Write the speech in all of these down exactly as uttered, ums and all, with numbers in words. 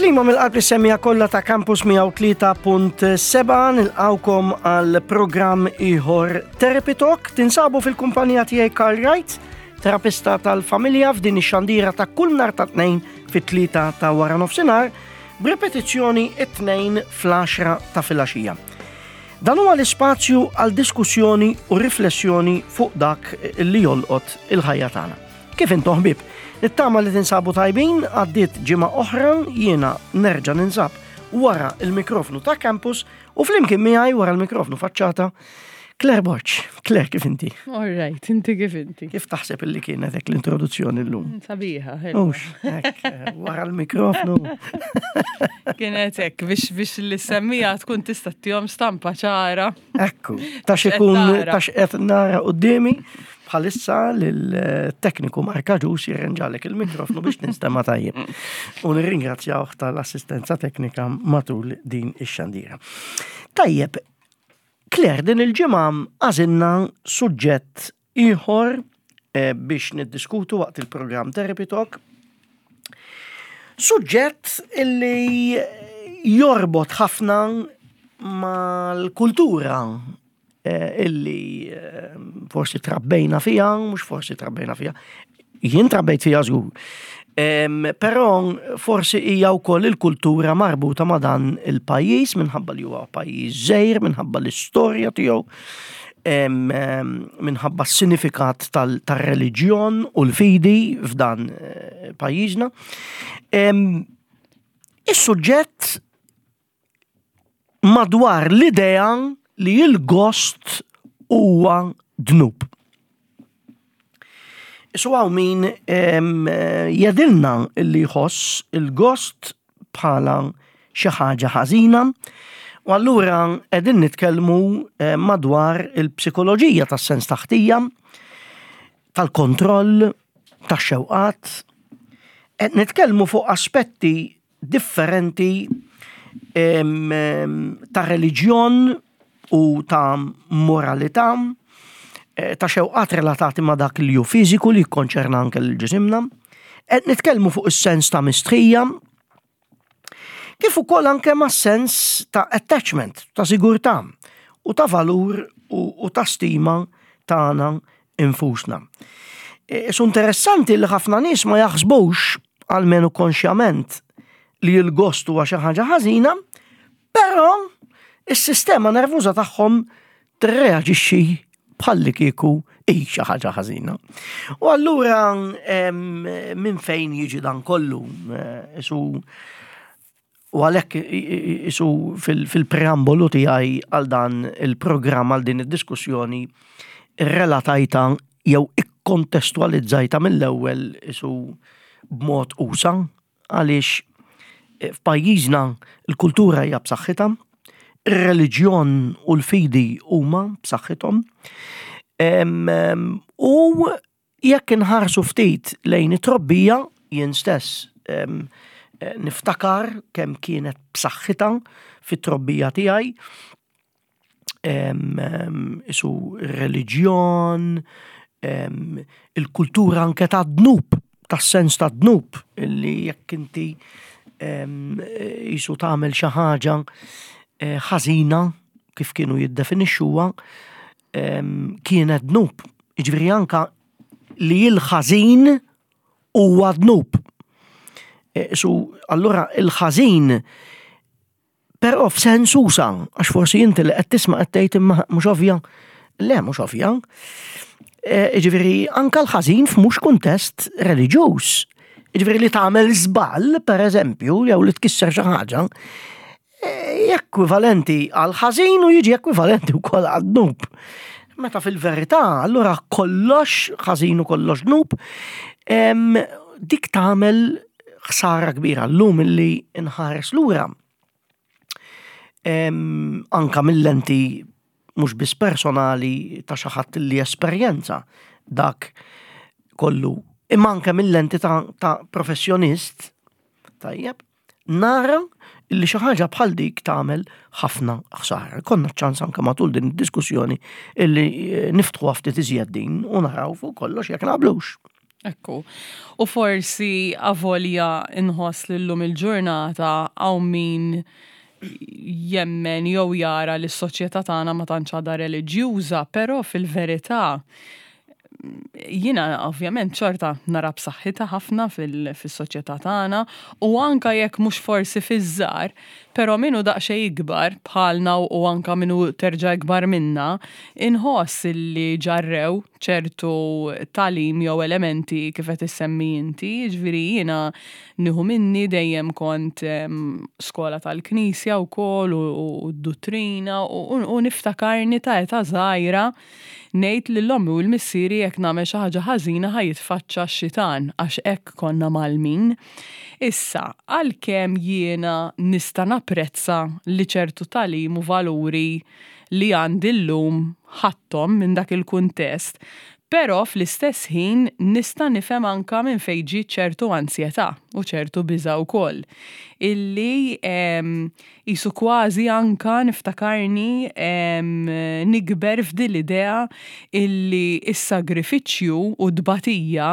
Tislima mill-qalb lis-semmiegħa kollha ta' Campus mija u tlieta punt sebgħa, nilqgħukom għal programm ieħor Therapy Talk. Tinsabu fil-kumpanija tiegħi, Karl Wright, terapista tal-familja, f'din ix-xandira ta' kull nhar ta' Tnejn fit-tlieta ta' wara nofsinhar, b'repetizzjoni it-Tnejn fl-għaxra ta' filgħaxija. Dan huwa l-ispazju għal diskussjoni u riflessjoni fuq dak li jolqot il-ħajja tagħna. Kif intom, ħbieb? Nittama li tinsabu tajbin. Għaddiet ġimgħa oħra, jiena nerġa' ninsab wara il-mikrofnu ta' Campus u flimkien miegħi wara l-mikrofnu faċċata Claire Borch. Claire, kif inti? All right, inti kif inti? Kif taħseb illi kienet hekk l-introduzzjoni llum? Sabiħa. Ux, hekk, wara l-mikrofnu. Kienet hekk biex biex l-semmiegħa tkun tista' ttihom stampa ċara. Ekku, ta' xikun ta' x'qed nara quddiemi bħalissa l-tekniku Marka Ġus jirrenġalek il-mikrofnu biex ninstema tajjeb. U nirringrazzjawh tal-assistenza teknika matul din ix-xandira. Tajjeb, Claire, din il-ġimgħa għażilna suġġett ieħor eh, biex niddiskutu waqt il-programm Therapy Talk. Suġġett illi jorbot ħafna mal-kultura eh, illi eh, forsi trabbejna fija, mhux forsi trabbejna fija, jien trabbejt fija żgur. Però forsi hija wkoll il-kultura marbuta ma' dan il-pajjiż minħabba li huwa pajjiż żgħir, minħabba l-istorja tiegħu, minħabba s-sinifikat tal-reliġjon u l-fidi f'dan eh, pajjiżna. Is-suġġett madwar l-idea li l-gost huwa dnub. So hawn min jgħidilna li jħoss il-gost bħala xi ħaġa ħażina u allura qegħdin nitkellmu eh, madwar il-psikoloġija tas-sens ta' ħtija, tal-kontroll, tax-xewqat. Qed nitkellmu fuq aspetti differenti ta' reliġjon u ta' moralità, eh, ta' xewqat relatati ma' dak li hu fiżiku li jikkonċerna anke l-ġisimna. Qed nitkellmu fuq is-sens ta' mistħija, kif ukoll anke ma' sens ta' attachment, ta' sigurtà u ta' valur u, u ta' stima tagħna infusna. E, Su interessanti li ħafna nies ma jaħsbux, almenu konxjament, li l-gost huwa xi ħaġa ħażina, però is-sistema nervuża tagħhom tirreaġixxi bħalli kieku hi xi ħaġa ħażina. U allura minn fejn jiġi dan kollu? Eh, isu u għalhekk isu fil-preambolu tiegħi għal dan il-programm, għal din id-diskussjoni, relatajta jew ikkontestualizzajta mill-ewwel isu b'mod usa', għaliex eh, f'pajjiżna il-kultura hija b'saħħitha, ir-reliġjon u l-fidi huma b'saħħithom. U jekk inħarsu ftit lejn it-trobbija, jien stess eh, niftakar kemm kienet b'saħħitha fit-trobbija tiegħi, isu reliġjon, il-kultura anke ta' dnub, tas-sens ta' dnub, illi jekk inti jisu tagħmel xi ħaġa eh, ħażina, kif kienu jiddefinixxuha, kienet dnub. Jiġifieri anka li l-ħażin huwa dnub. E, su allura il-ħażin però f'sens usa', għax forsi inti li qed tisma' qed tgħid, "Imma mhux ovvja." Le, mhux ovvja. E, Jiġifieri anka l-ħażin f'mhux kuntest reliġjuż. Jiġifieri li tagħmel żball, per eżempju, jew li tkisser xi ħaġa, e, ekwivalenti għal ħażin u jiġi ekwivalenti wkoll għal dnub. Meta fil-verità, allura kollox ħażin u kollox dnub, em, dik tagħmel ħsara kbira llum illi nħares lura. Em, anka mill-lenti mhux biss personali ta' xi ħadd li esperjenza dak kollu, imma anke mill-lenti ta', ta professjonist, tajjeb, nara illi xi ħaġa bħal dik tagħmel ħafna ħsara. Konna ċans anke matul din id-diskussjoni illi eh, niftħu ftit iżjed din u naraw fuq kollox jekk naqblux. Ekku. U forsi avolja inħoss li llum il-ġurnata hawn min jemmen jew jara li s-soċjetà tagħna ma tantx għadha reliġjuża, però fil-verità jiena ovvjament xorta nara b'saħħitha ħafna fis-soċjetà tagħna u anka jekk mhux forsi fiż-żgħar, però min hu daqsxejn ikbar bħalna u anka min hu terġa' ikbar minna, inħoss li ġarrew ċertu tagħlim jew elementi kif qed issemmi inti, jiġifieri jiena nieħu minni dejjem kont skola tal-Knisja wkoll u d-duttrina u niftakarni ta' età żgħira ngħid lil ommi u l-missieri jekk nagħmel xi ħaġa ħażina ħa jitfaċċa x-xitan għax hekk konna mgħallmin. Issa, għalkemm jiena nista' napprezza li ċertu tagħlim u valuri li għandi llum ħadthom minn dak il-kuntest, però fl-istess ħin nista' nifhem anka minn fejn ġiet ċertu ansjetà u ċertu biża' wkoll. Illi qisu kważi anka niftakarni nikber f'din l-idea illi s-sagrifiċċju u t-tbatija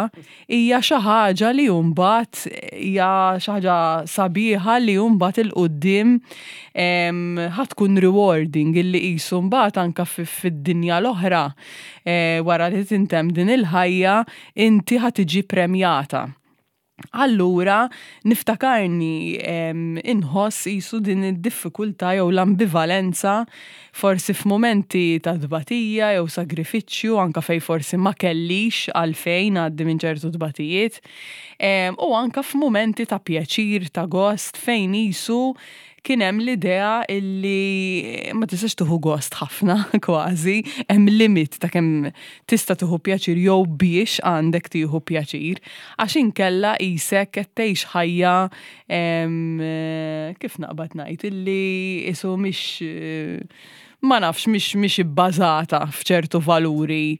hija xi ħaġa li mbagħad hija xi ħaġa sabiħa li mbagħad 'il quddiem ħa tkun rewarding, illi qisu mbagħad anka fid-dinja l-oħra wara li tintemm din il-ħajja inti ħa tiġi premjata. Allura niftakarni inħoss qisu din id-diffikultà jew l-ambivalenza forsi f'mumenti ta' tbatija jew sagrifiċċju, anka fejn forsi ma kellix għalfejn ngħaddi minn ċertu tbatijiet, u anka f'mumenti ta' pjaċir, ta' gost, fejn qisu kien hemm l-idea illi ma tistax tieħu gost ħafna kważi, hemm limit ta' kemm tista' tieħu pjaċir jew biex għandek tieħu pjaċir, għax inkella qisek qed tgħix ħajja, kif naqbad ngħid, illi qisu mhix, ma nafx, mhix mhix ibbażata f'ċertu valuri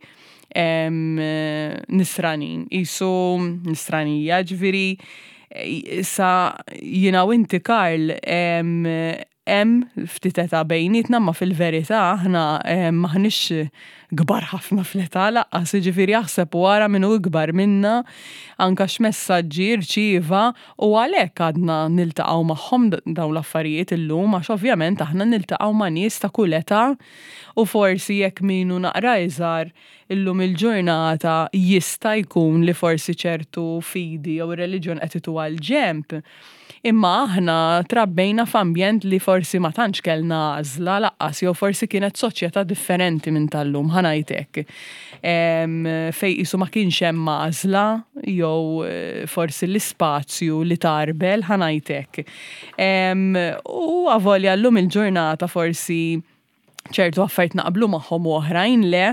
nisranin, qisu nisranija, ġifieri sa jiena u inti, Karl, hemm ftit età bejnietna, ma fil-verità aħna maħniex kbar ħafna fl-età lanqas, jiġifieri aħseb u ara min hu ikbar minna anka x'messaġġi rċieva, u għalhekk għadna niltaqgħu magħhom dawn l-affarijiet illum, għax ovvjament aħna niltaqgħu ma' nies ta' kull età u forsi jekk min hu naqra iżgħar illum il-ġurnata jista' jkun li forsi ċertu fidi jew reliġjon qed ituha l-ġenb. Imma aħna trabbejna f'ambjent li forsi ma tantx kellna għażla lanqas, jew forsi kienet soċjetà differenti minn tal-lum, ħa ngħid hekk. Fejn qisu ma kienx hemm għażla jew forsi l-ispazju li tarbel, ħa ngħid hekk. U avolja llum il-ġurnata forsi ċertu affarijiet naqblu magħhom u oħrajn le,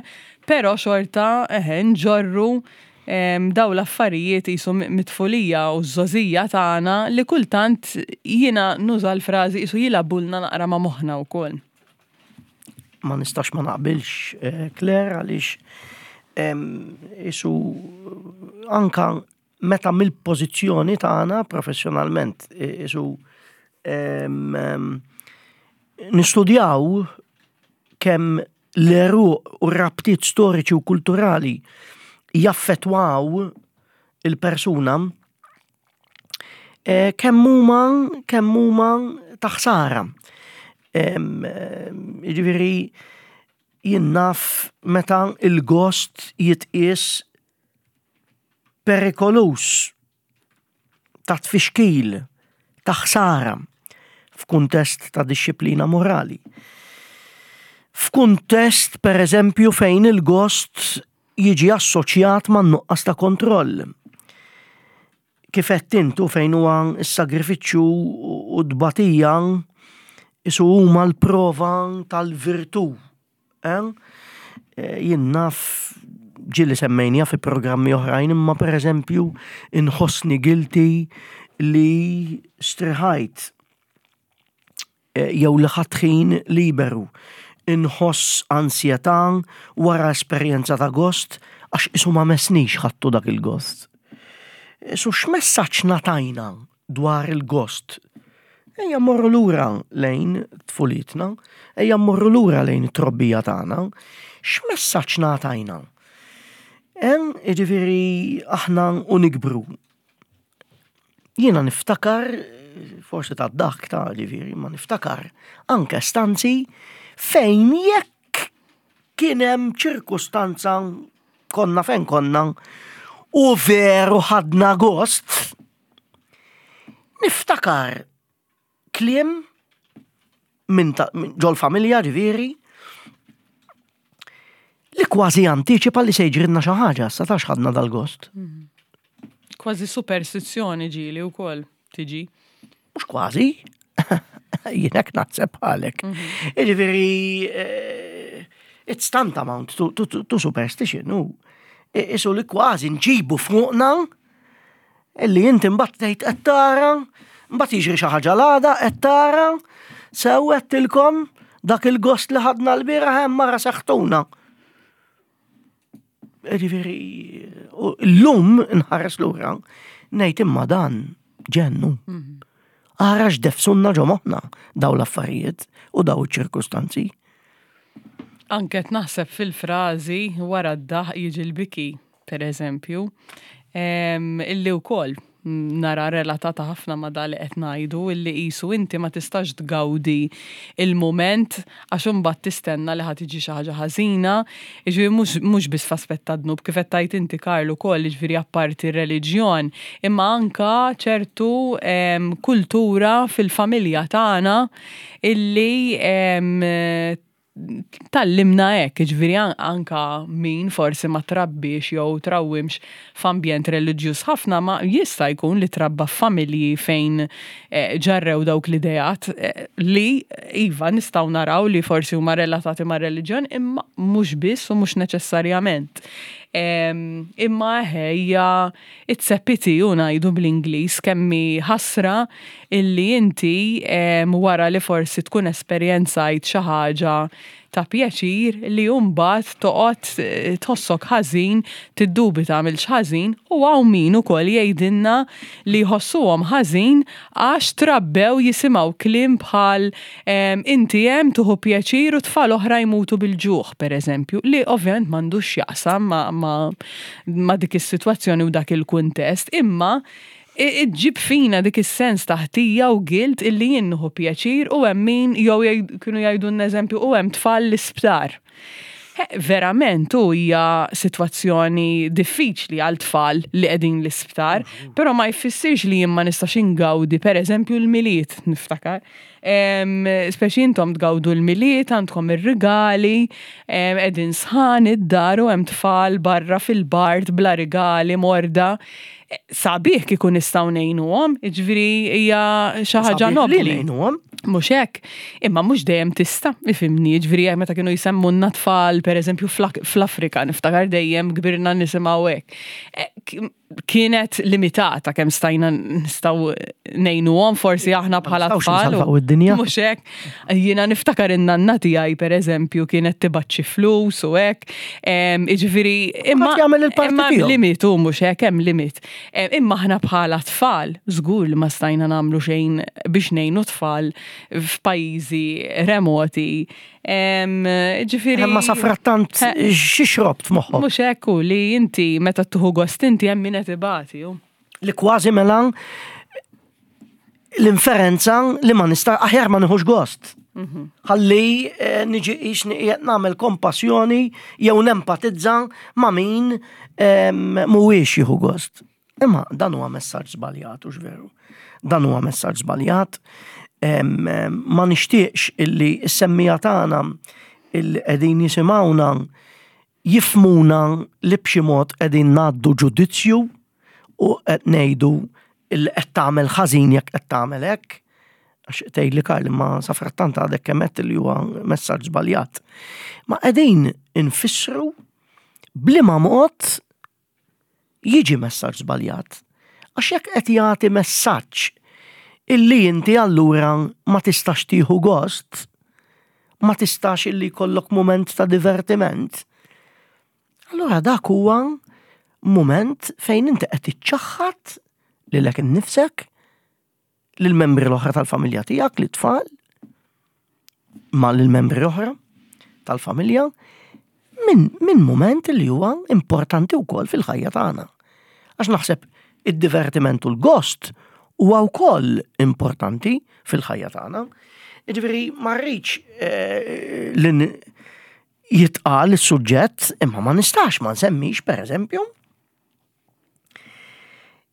però xorta eħe nġorru daw l-affarijiet qisu mit-tfulija u ż-żgħożija tagħna li kultant jiena nuża l-frażi qisu jilagħbulna naqra ma' moħħna wkoll. Ma nistax ma naqbilx, Claire, għaliex qisu anka meta mill-pożizzjoni tagħna professjonalment qisu nistudjaw kemm l-għeruq u r-rabtiet storiċi u kulturali jaffettwaw il-persuna, kemm huma kemm huma ta' ħsara. Jiġifieri jien naf meta il-gost jitqies perikoluż, ta' tfixkil, ta' ħsara f'kuntest ta' dixxiplina morali. F'kuntest, per eżempju, fejn il-gost jiġi assoċjat ma' nuqqas ta' kontroll. Kif qed intu, fejn huwa s-sagrifiċċju u t-tbatija qisu huma l-prova tal-virtù. Jien naf ġieli semmejnija fi programmi oħrajn, imma per eżempju inħossni guilty li striħajt jew li ħadt ħin liberu. Inħoss ansjetà wara esperjenza ta' gost għax qisu ma messnix ħadtu dak il-gost. So x'messaġġ ngħatajna dwar il-gost? Ejja mmorru lura lejn tfulitna, ejja mmorru lura lejn it-trobbija tagħna. X'messaġġ ngħatajna? Jiġifieri aħna u nikbru. Jiena niftakar, forsi ta' dak ta' ġifieri, ma niftakar anke stanzi fejn jekk kien hemm ċirkustanza konna fejn konna u veru ħadna gost, niftakar kliem minn ġol familja ġifieri li kważi antiċipa li se jiġrilna xi ħaġa, sa tax ħadna dal-gost. Kważi superstizzjoni ġieli wkoll tiġi. Mhux kważi, jien hekk naħseb bħalek. Jiġifieri eh, it's tantamount to, to, to, to superstition, u isu li kważi nġibu fuqna illi inti mbagħad tgħid qed tara, mbagħad jiġri xi ħaġa l-għada qed tara, sew għedtilkom dak il-gost li ħadna l-bieraħ hemm mara seħtuna. Jiġifieri, llum nħares lura, ngħid imma dan ġennu. Ara x'defsunna ġo moħħna daw l-affarijiet u daw iċ-ċirkustanzi. Anke naħseb fil-frażi wara d-daħ jiġi l-biki, per eżempju, illi wkoll nara relatata ħafna ma da li qed ngħidu illi qisu inti ma tistax tgawdi il-moment għax imbagħad tistenna li ħa tiġi xi ħaġa ħażina, jiġifieri mhux mhux biss f'aspett ta' dnub kif qed tgħid inti Karl ukoll jiġifieri apparti r-reliġjon, imma anka ċertu em, kultura fil-familja tagħna illi em, tgħallimna hekk, ġifieri anka min forsi ma trabbix jew trawwimx f'ambjent reliġjuż ħafna ma jista' jkun li trabba f'familji fejn eh, ġarrew dawk l-idejat eh, li iva nistgħu naraw li forsi huma relatati ma' reliġjon imma mhux biss u mhux neċessarjament. Em, Imma ħejja it's a pity u ngħidu bl-Ingliż kemm hi ħasra illi inti em, wara li forsi tkun esperjenzajt xi ħaġa ta' pjaċir li mbagħad toqgħod eh, tħossok ħażin, tiddubita għamilx ħażin u hawn min ukoll jgħidilna li jħossuhom ħażin għax trabbew jisimgħu kliem bħal em, inti hemm tieħu pjaċir u tfal oħra jmutu bil-ġuħ, pereżempju, li ovvjament m'għandux x'jaqsam ma, ma, ma dik is-sitwazzjoni u dak il-kuntest, imma i- iġġib fina dik is-sens ta' ħtija u guilt illi jien nieħu pjaċir u hemm min jew jgħid- kienu jgħidu eżempju u hemm tfal l-isptar. He, Verament u hija sitwazzjoni diffiċli għal tfal li qegħdin l-isptar, però ma jfissirx li jien ma nistax ingawdi pereżempju l-Milied niftakar. Em, Speċi intom tgawdu l-Milied, għandkom ir-rigali, em, qegħdin sħan id-dar u hemm tfal barra fil-bard bla rigali morda. Sabiħ kieku nistgħu ngħinuhom, jiġifieri hija xi ħaġa Sabiħ li nobli. ngħinuhom. Mhux hekk, imma mhux dejjem tista', ifhimni, ġifieri meta kienu jsemmulna tfal, pereżempju fl-Afrika, niftakar dejjem kbirna nisimgħu hekk. E, k- Kienet limitata kemm stajna nistgħu ngħinuhom forsi aħna bħala nistgħux tfal. u- nsalvaw id-dinja. Mhux hekk. Jiena niftakar in-nanna tiegħi pereżempju kienet tibgħat xi flus u hekk. Em, Jiġifieri imma Kulħadd jagħmel il-parti imma tiegħu. limitu mhux hekk hemm limit. Em, Imma aħna bħala tfal, żgur li ma stajna nagħmlu xejn biex ngħinu tfal f'pajjiżi remoti. Em, Ġifieri. Imma safrattant Eh. xi xrobt f'moħħok. Mhux hekk hu li inti meta tieħu gost inti hemm min qed ibati. hu. Li kważi mela l-inferenza li ma nista' aħjar ma nieħux gost. Ħalli eh, niġi qisni qiegħed nagħmel kompassjoni jew nempatizza ma' min em, mhuwiex jieħu gost. Imma dan huwa messaġġ żbaljat, hux veru. Dan huwa messaġġ żbaljat. Em, em, Ma nixtieqx illi s-semmiegħa tagħna illi qegħdin jisimgħuna jifhmuna li b'xi mod qegħdin ngħaddu ġudizzju u qed ngħidu illi qed tagħmel ħażin jekk qed tagħmel hekk. Għax tgħid li Karl ma safrattant għadek kemm għedt li huwa messaġġ żbaljat. Ma qegħdin infissru b'liema mod jiġi messaġġ żbaljat. Għax jekk qed jagħti messaġġ illi inti allura ma tistax tieħu gost, ma tistax illi jkollok moment ta' divertiment. Allura dak huwa moment fejn inti qed iċċaħħad lilek innifsek, lill-membri l-oħra tal-familja tiegħek, lit-tfal, ma lill-membri oħra tal-familja, Minn min moment li huwa importanti wkoll fil-ħajja tagħna. Għax naħseb id-divertiment u l-gost huwa wkoll importanti fil-ħajja tagħna. Jiġifieri ma rridx eh, li jitqal is-suġġett imma ma nistax ma nsemmix pereżempju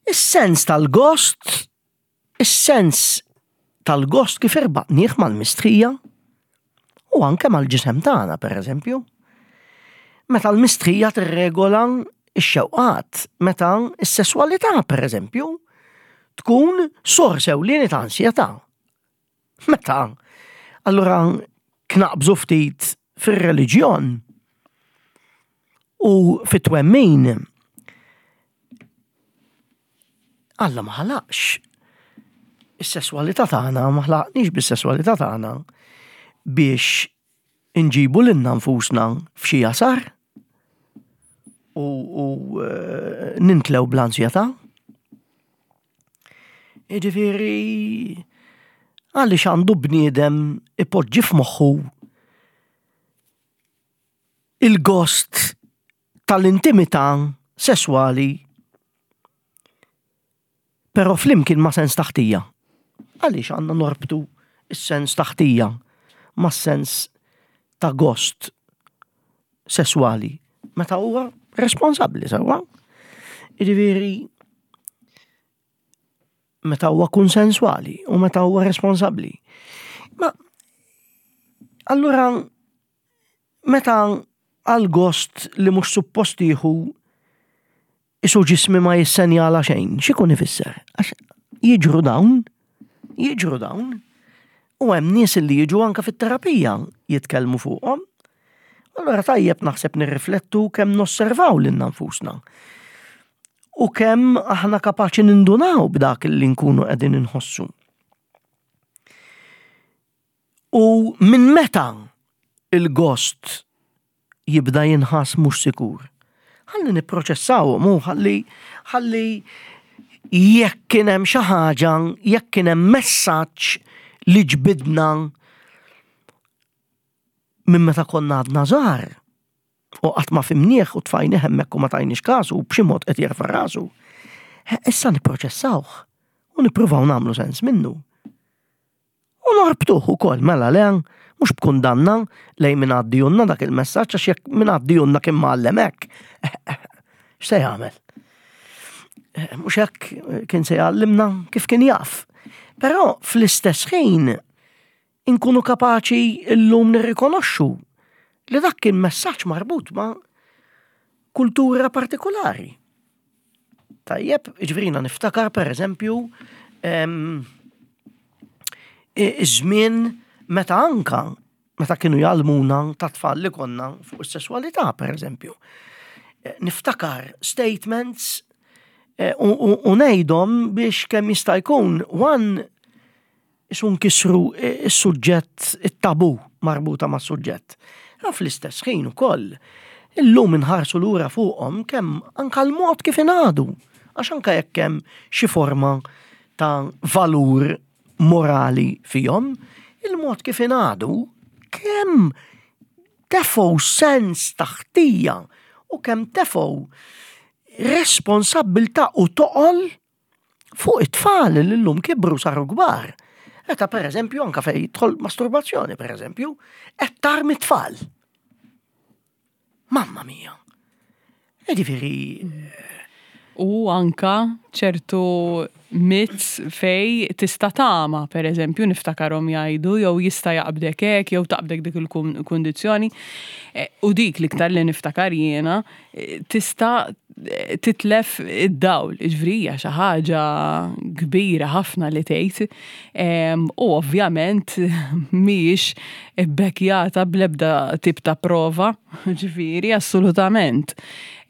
is-sens tal-gost, is-sens tal-gost kif irbatnieh mal-mistħija u anke mal-ġisem tagħna pereżempju. Meta l-mistħija tirregola x-xewqat, meta s-sesswalità pereżempju tkun sors ewlieni ta' ansjetà. Meta allura knaqbżu ftit fir-reliġjon u fit-twemmin Alla ma ħalaqx is-sesswalità tagħna, ma ħlaqniex bis-sesswalità tagħna biex inġibu lilna nfusna f'xi jasar u, u eh, nintlew bl-ansjetà. Jiġifieri għaliex għandu bniedem ipoġġi f'moħħu il-gost tal-intimità sesswali però flimkien ma' sens ta' ħtija. Għaliex għandna norbtu is-sens ta' ħtija ma' sens ta' gost sesswali meta huwa responsabbli sewwa. Jiġifieri meta huwa konsenswali u meta huwa responsabbli. Ma allura meta għal gost li mhux suppost jieħu isu ġismi ma jissenjala xejn, x'ikun ifisser? Għax jiġru dawn, jiġru dawn, u hemm nies li jiġu anka fit-terapija jitkellmu fuqhom. Allura tajjeb naħseb nirriflettu kemm nosservaw lilna nfusna. U kemm aħna kapaċi nindunaw b'dak li nkunu qegħdin inħossu. U minn meta il-gost jibda jinħass mhux sikur? Ħalli nipproċessawhom u ħalli ħalli jekk kien hemm xi ħaġa, jekk kien hemm messaġġ li ġbidna minn meta konna għadna żgħar u qatt ma fimnieh u tfajnieh hemmhekk u ma tajniex kasu u b'xi mod qed jerfa' rasu. Issa nipproċessawh u nippruvaw nagħmlu sens minnu. U norbtuh ukoll mela le mhux b'kundanna lejn min għaddijunna dak il-messaġġ għax jekk min għaddijunna kien mgħallem hekk. X'se jagħmel? Mhux hekk kien se jgħallimna kif kien jaf. Però fl-istess ħin inkunu kapaċi llum nirrikonoxxu li dak kien messaġġ marbut ma' kultura partikolari. Tajjeb, jiġifieri niftakar per eżempju iż-żmien meta anka meta kienu jgħallmuna ta' tfal li konna fuq is-sesswalità per eżempju. Niftakar statements u ngħidhom biex kemm jista' jkun one isu nkissru is-suġġett, it-tabu marbuta mas-suġġett. Fl-istess ħin ukoll, illum inħarsu lura fuqhom kemm anka l-mod kif ingħadu, għax anka jekk hemm xi forma ta' valur morali fihom, il-mod kif ingħadu kemm tefgħu sens ta' ħtija u kemm tefgħu responsabbiltà u toqol fuq it-tfal li llum kibru saru kbar. Meta per eżempju anka fej tidħol masturbazzjoni per eżempju, qed tarmi tfal. Mamma mia. Jiġifieri. U anka ċertu myths fej tista' tama, per eżempju, niftakarhom jgħidu, jew jista' jaqbdek hekk, jew taqbdek dik il-kundizzjoni. U dik l-iktar li niftakar jiena, tista' titlef id-dawl, ġifieri hija xi ħaġa kbira ħafna li tgħid. U ovvjament mhijiex ibbekkjata bl-ebda tip ta' prova, ġifieri assolutament.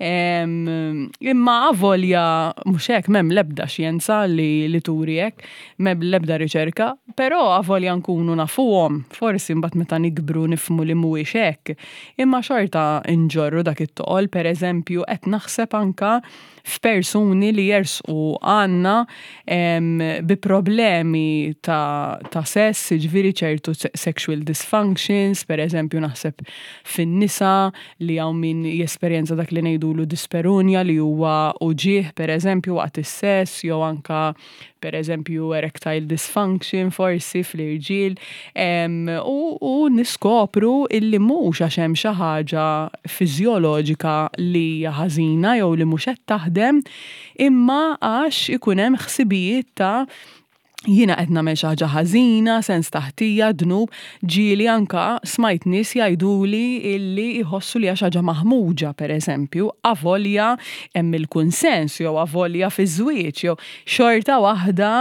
Imma avolja mhux hekk m'hemm l-ebda xjenza li, li turi hekk, m'hemm l-ebda riċerka, però avolja nkunu nafuhom, forsi mbagħad meta nikbru nifhmu li mhuwiex hekk, imma xorta nġorru dak it-toqol. Pereżempju, qed naħseb anka f'persuni li jersqu għandna bi problemi ta', ta' sess, ġifieri ċertu sexual dysfunctions, per eżempju naħseb fin-nisa li hawn min jesperjenza dak li ngħidulu dyspareunia, li huwa uġigħ per eżempju waqt is-sess, jew anka per eżempju erectile dysfunction forsi fl-irġiel, u, u niskopru illi mhux għax hemm xi ħaġa fiżjoloġika li hija ħażina jew li mhux qed taħdem, imma għax ikun hemm ħsibijiet ta' jiena qed nagħmel xi ħaġa ħażina, sens ta' ħtija, dnub. Ġieli anka smajt nies jgħiduli illi jħossu li xi ħaġa maħmuġa, pereżempju, avolja hemm il-kunsens jew avolja fiż-żwieġ jew xorta waħda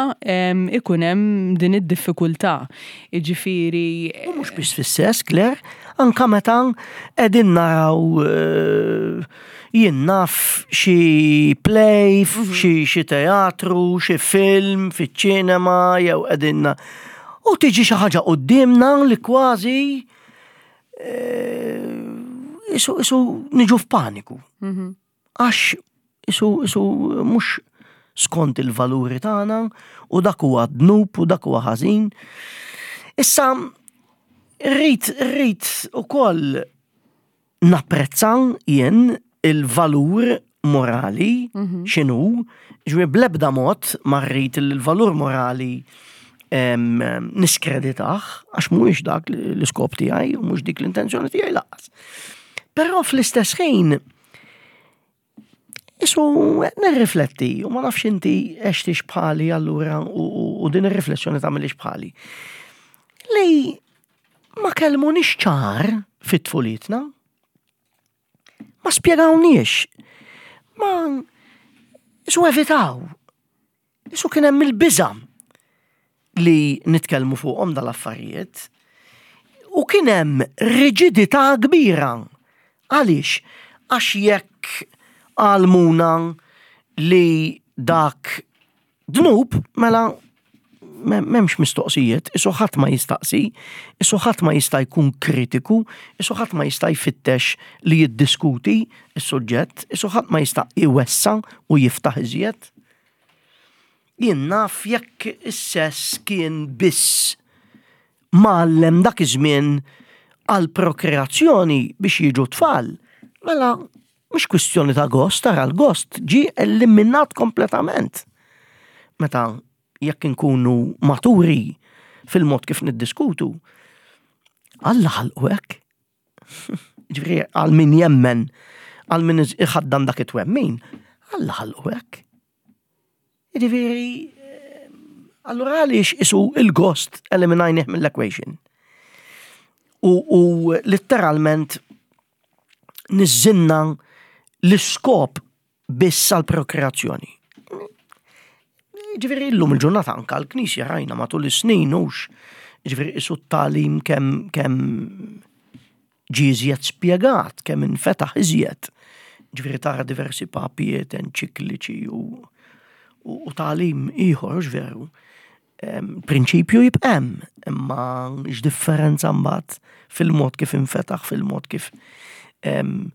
ikun hemm din id-diffikultà. Jiġifieri U mhux biss fis-sess, Claire, anka meta qegħdin naraw eh, jien naf xi play, xi xi teatru, xi film fiċ-ċinema jew qegħdin u tiġi xi ħaġa quddiemna li kważi eh, isu isu niġu f'paniku. Għax isu isu mhux skont il-valuri tagħna u dak huwa dnub u dak huwa ħażin. Issa rrid rrid ukoll napprezza jien il-valur morali x'inhu, ġifieri bl-ebda mod ma rrid il-valur morali em, niskreditah, għax mhuwiex dak l-iskop tiegħi u mhux dik l-intenzjoni tiegħi lanqas. Però fl-istess ħin isu nirrifletti u ma nafx inti għextix bħali allura u, u, u din ir-riflessjoni tagħmilix bħali. Li ma kellmunix ċar fit-tfulitna, ma spjegawniex, ma isu evitaw, isu kien hemm il-biża li nitkellmu fuqhom dal-affarijiet u kien hemm riġidità kbira. Għaliex? Għax jekk għallmuna li dak dnub, mela m'hemmx mistoqsijiet, isu ħadd ma jistaqsi, isu ħadd ma jista' jkun kritiku, isu ħadd ma jista' jfittex li jiddiskuti is-suġġett, isu ħadd ma jista' iwessa u jiftaħ iżjed. Jien naf jekk is-sess kien biss mgħallem dak iż-żmien għal prokreazzjoni biex jiġu tfal, mela mhux kwistjoni ta' gost, tara l-gost ġi eliminat kompletament. Meta jekk inkunu maturi fil-mod kif niddiskutu, Alla ħalqu hekk. Ġifieri għal min jemmen, għal min iħaddan dak it-twemmin, Alla ħalqu hekk. Ġifieri, allura għaliex isu il-gost eliminajnih mill-equation? U, u letteralment niżżilna l-iskop biss għal prokreazzjoni. Ġifieri illum il-ġurnata anka l-Knisja rajna matul is-snin hux, ġifieri isu t-tagħlim kemm kemm ġie iżjed spjegat, kemm infetaħ iżjed. Ġifieri tara diversi papijiet enċikliċi u, u, u tagħlim ieħor, hux veru. Prinċipju jibqa' hemm, imma x'differenza mbagħad fil-mod kif infetaħ, fil-mod kif em,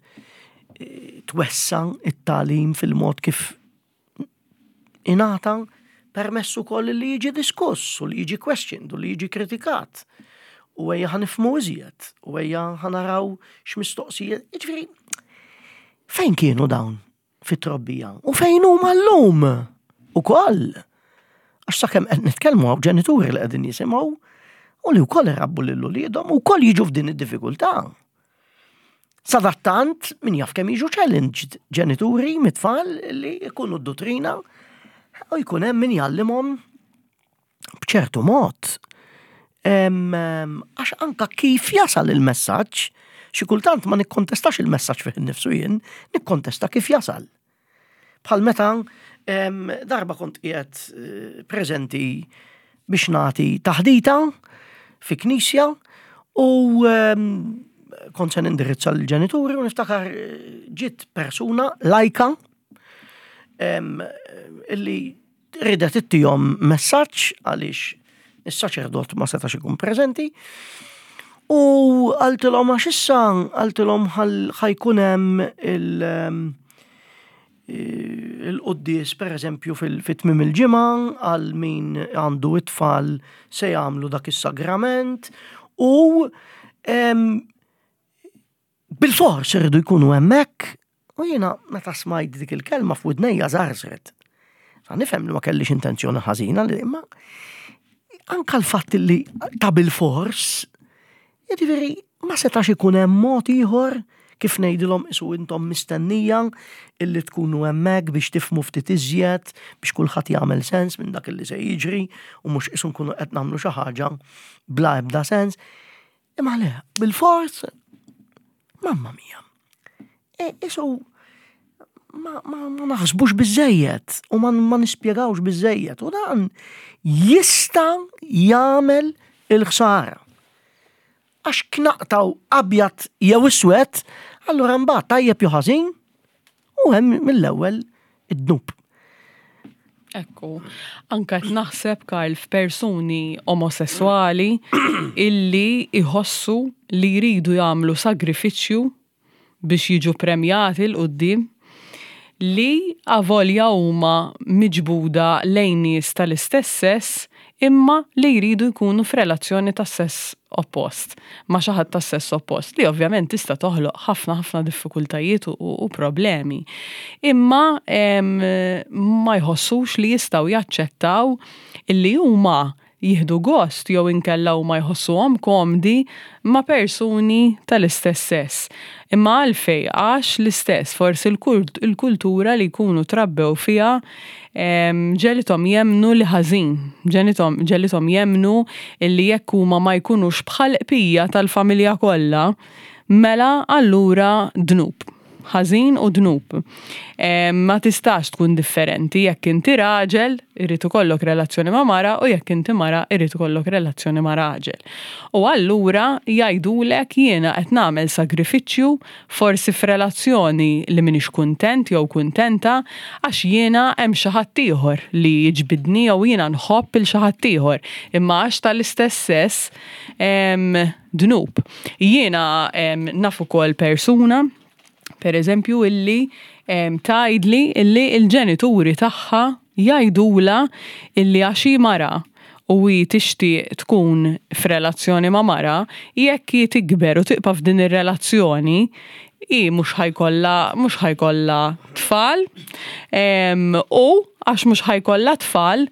twessa it-tagħlim, fil-mod kif ingħata permess ukoll li jiġi diskuss u li jiġi questioned u li jiġi kritikat. U ejja ħa nifhmu iżjed, u ejja ħa naraw x'mistoqsijiet. Jiġifieri, fejn kienu dawn fit-trobbija? U fejn huma llum? Ukoll. Għax sakemm qed nitkellmu hawn ġenituri li qegħdin jisimgħu u li wkoll irabbu lil uliedhom u wkoll jiġu f'din id-diffikultà. Sadattant, min jaf kemm jiġu challenged ġenituri mit-tfal li jkunu d-dottrina u jkun hemm min jgħallimhom b'ċertu mod. Għax anka kif jasal il-messaġġ, xi kultant ma nikkontestax il-messaġġ fih innifsu jien, nikkontesta kif jasal. Bħal meta darba kont qiegħed eh, preżenti biex nagħti taħdita fi knisja u kont se nindirizza l-ġenituri u niftakar eh, ġiet persuna lajka illi Ridet ittihom messaġġ għaliex is-saċerdot ma setax ikun preżenti. U qaltilhom għax issa qaltilhom ħa jkun hemm il- il-quddies, per eżempju, fil-tmim il-ġimgħa, għal min għandu it-tfal se jagħmlu dak is-sagrament u bil-fors irridu jkunu hemmhekk. U jiena meta smajt dik il-kelma, f'widnejja żarżret. Sa nifhem li ma kellix intenzjoni ħażina li, imma anka l-fatt li ta' bil-fors, jiġifieri ma setax ikun hemm mod ieħor kif ngħidilhom isu intom mistennija illi tkunu hemmhekk biex tifhmu ftit iżjed, biex kulħadd jagħmel sens minn dak illi se jiġri u mhux isu nkunu qed nagħmlu xi ħaġa bla ebda sens. Imma le, bil-fors, mamma mia. E, isu ma, ma, ma naħsbux biżejjed u ma, ma nispjegawx biżejjed u dan jista' jagħmel il-ħsara. Għax naqtgħu abjad jew iswed, allura mbagħad tajjeb jew ħażin u hemm mill-ewwel id-dnub. Ekku, anka qed naħseb, Karl, f'persuni omosessuali illi iħossu li jridu jagħmlu sagrifiċċju biex jiġu premjati 'l quddiem, li avolja huma miġbuda lejn nies tal-istess sess imma li jridu jkunu f'relazzjoni ta' sess oppost, ma' xi ħadd ta' sess oppost, li ovvjament tista' toħloq ħafna ħafna diffikultajiet u, u problemi. Imma em, ma jħossux li jistgħu jaċċettaw illi huma jieħdu gost jew inkella huma jħossuhom komdi ma' persuni tal-istess sess. Imma għalfej? Għax l-istess, forsi il-kultura li jkunu trabbew fiha ġegħlithom jemmnu li ħażin, ġegħlithom jemmnu illi jekk huma ma jkunux bħal bqija tal-familja kollha, mela allura dnub, ħażin u dnub. Ma tistax tkun differenti: jekk inti raġel, irid ikollok relazzjoni ma' mara, u jekk inti mara, irid ikollok relazzjoni ma' raġel. U allura jgħidulek jiena qed nagħmel sagrifiċċju, forsi f'relazzjoni li m'iniex kuntent jew kuntenta, għax jiena hemm xi ħadd ieħor li jiġbidni jew jiena nħobb il xi ħadd ieħor. Imma għax tal-istess sess, dnub. Jiena naf ukoll persuna, per eżempju, illi tgħidli illi il-ġenituri tagħha jgħidula illi għax hi mara u hi tixtieq tkun f'relazzjoni ma' mara, jekk hi tikber u tibqa' f'din ir-relazzjoni, hi mhux ħa jkollha mhux ħa jkollha tfal u għax mhux ħa jkollha tfal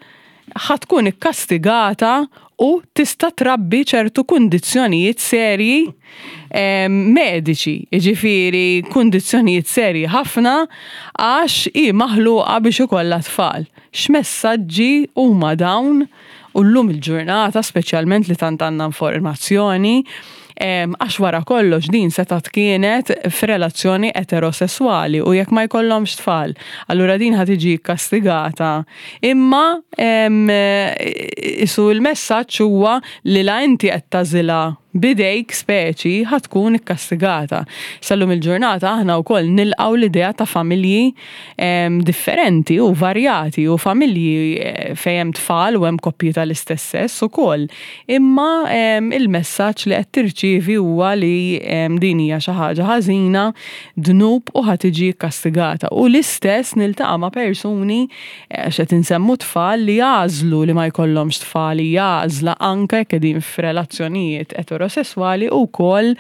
ħa tkun ikkastigata u tista' trabbi ċertu kundizzjonijiet serji mediċi, jiġifieri kundizzjonijiet serji ħafna għax hi maħluqa biex ikollha tfal. X'messaġġi huma dawn? U llum il-ġurnata speċjalment li tant għandna informazzjoni, għax wara kollox din setgħet kienet f'relazzjoni eterosessuali u jekk ma jkollhomx tfal, allura din ħa tiġi kastigata. Imma isu l-messaġġ huwa li la inti qed tagħżilha bidejk, speċi ħa tkun ikkastigata. Sal-lum il-ġurnata aħna wkoll nilqgħu l-idea ta' familji differenti u varjati u familji eh, fejn hemm tfal u hemm koppji tal-istess sess ukoll. Imma il-messaġġ li qed tirċievi huwa li din hija xi ħaġa ħażina, dnub u ħa tiġi kkastigata. U l-istess niltaqa' ma' persuni eh, x'qed insemmu tfal, li jagħżlu li ma jkollhomx tfal, jagħżla anke jekk qegħdin f'relazzjonijiet eterosessuali, u wkoll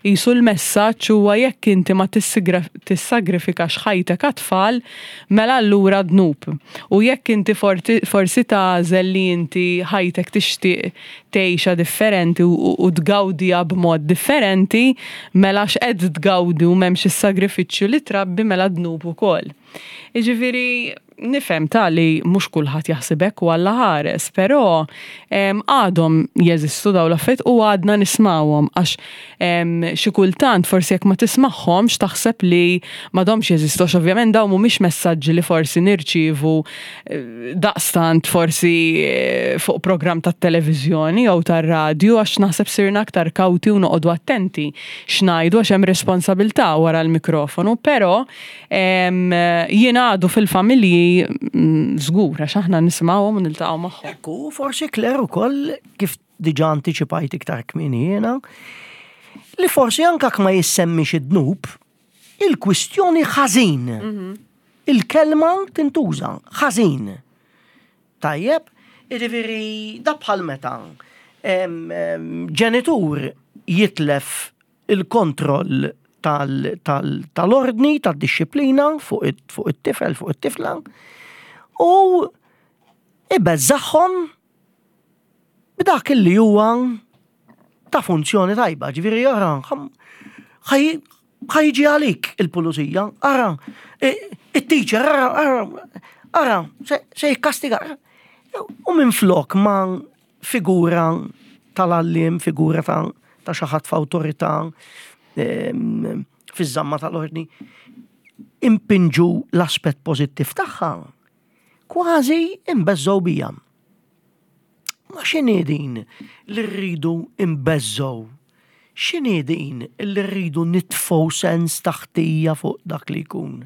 jisu l-messaġġ huwa jekk inti ma tissagrifikax ħajtek għat-tfal, mela allura dnub. U jekk inti forsi tagħżel li inti ħajtek tixtieq tgħixha differenti u tgawdiha b'mod differenti, mela x'qed tgawdi u m'hemmx is-sagrifiċċju li trabbi, mela dnub ukoll. Jiġifieri nifhem ta' li mhux kulħadd jaħseb hekk u Alla ħares, però għadhom jeżistu dawn l-affarijiet u għadna nismawhom, għax xi kultant forsi jekk ma tismagħhomx taħseb li m'għadhomx jeżistu, għax ovvjament dawn mhumiex messaġġi li forsi nirċievu eh, daqstant forsi eh, fuq programm tat-televiżjoni jew tar-radju, għax naħseb sirna aktar kawti u noqogħdu attenti x'ngħidu għax hemm responsabilità wara l-mikrofonu, però jien għadu fil-familji li mm, żgur għax aħna nisimgħuhom u niltaqgħu magħhom. Ekku, forsi Claire ukoll kif diġà antiċipajt iktar kmieni jiena, li forsi anka ma jissemmix id-dnub, il-kwistjoni ħażin. Il-kelma tintuża, ħażin. Tajjeb, jiġifieri da bħal meta em, em, ġenitur jitlef il-kontroll tal- tal- tal-ordni, tad-disciplina fuq it- fuq it-tifel, fuq it-tifla, u ibeżżagħhom b'dak li huwa ta' funzjoni tajba, ġifieri ara, ħa jiġi għalik il-pulizija, ara, it-teacher, ara, ara, ara, se se jikkastiga. U minn flok ma figura tal-għalliem, figura ta' ta' xi ħadd f'awtorità em, fiż-żamma tal-ordni, impinġu l-aspett pożittiv tagħha, kważi imbeżżgħu biha. Ma x'inhi din li rridu imbeżżgħu? X'inhi din li rridu nitfgħu sens ta' ħtija fuq dak li jkun?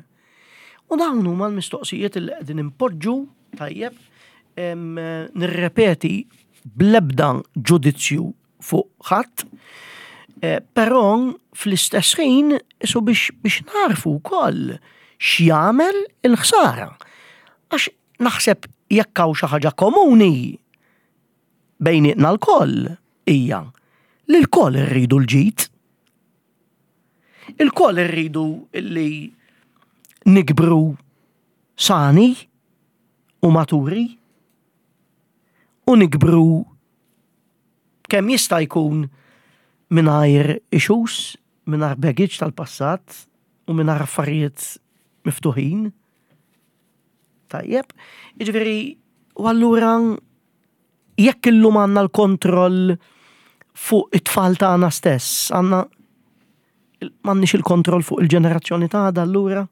U dawn huma l-mistoqsijiet li qegħdin impoġġu tajjeb, em, nirrepeti bl-ebda ġudizzju fuq ħadd, eh, però fl-istess ħin isu biex, biex narfu wkoll x'jagħmel il-ħsara. Għax naħseb jekk hawn xi ħaġa komuni bejnietna lkoll hija li lkoll irridu l-ġid. Ilkoll irridu li nikbru sani u maturi u nikbru kemm jista' jkun mingħajr issues, mingħajr baggage tal-passat u mingħajr affarijiet miftuħin. Tajjeb, jiġifieri, u allura jekk illum għandna l-kontroll fuq it-tfal tagħna stess, għandna m'għandniex il-kontroll fuq il-ġenerazzjoni tagħna allura?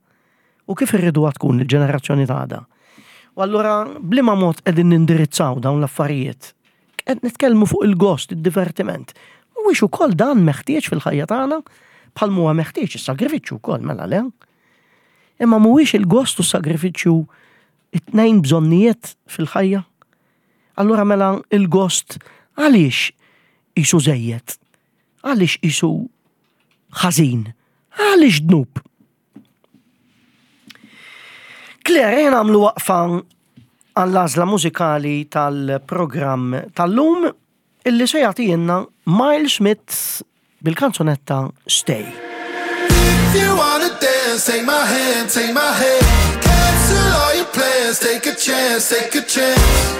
U kif irridu tkun il-ġenerazzjoni tagħna? U allura b'liema mod qegħdin nindirizzaw dawn l-affarijiet? Qed nitkellmu fuq il-gost, id-divertiment. Mhuwiex ukoll dan meħtieġ fil-ħajja tagħna bħal huwa meħtieġ is-sagrifiċċju wkoll mela le. Imma mhuwiex il-gost u s-sagrifiċċju it-tnejn bżonnijiet fil-ħajja? Allura mela il-gost għaliex qisu żejjed? Għaliex qisu ħażin? Għaliex dnub? Claire, jena għamlu waqfa għall-għażla mużikali tal-programm tal-lum illi se jagħtina Miles Smith bil-kanzunetta Stay. If you wanna dance, take my hand, take my hand. Cancel all your plans, take a chance, take a chance.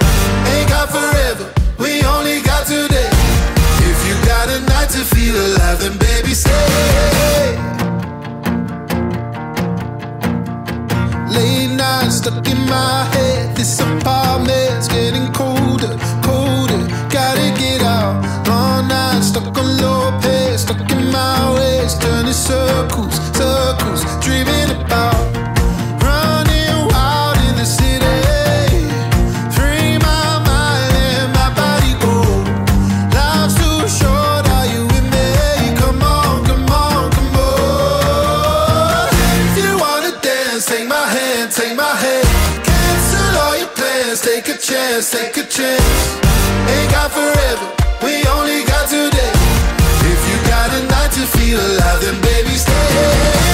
Ain't got forever, we only got today. If you got a night to feel alive, then baby stay. Late nights stuck in my head, this apartment's getting colder, colder. Gotta get out. Long nights stuck on low pace, stuck in my ways, turning circles, circles, dreaming about running wild in the city. Free my mind and my body go. Life's too short, are you with me? Come on, come on, come on. If you wanna dance, take my hand, take my hand. Cancel all your plans, take a chance, take a chance. Ain't got forever, we only got today. If you got a night to feel alive, then baby stay.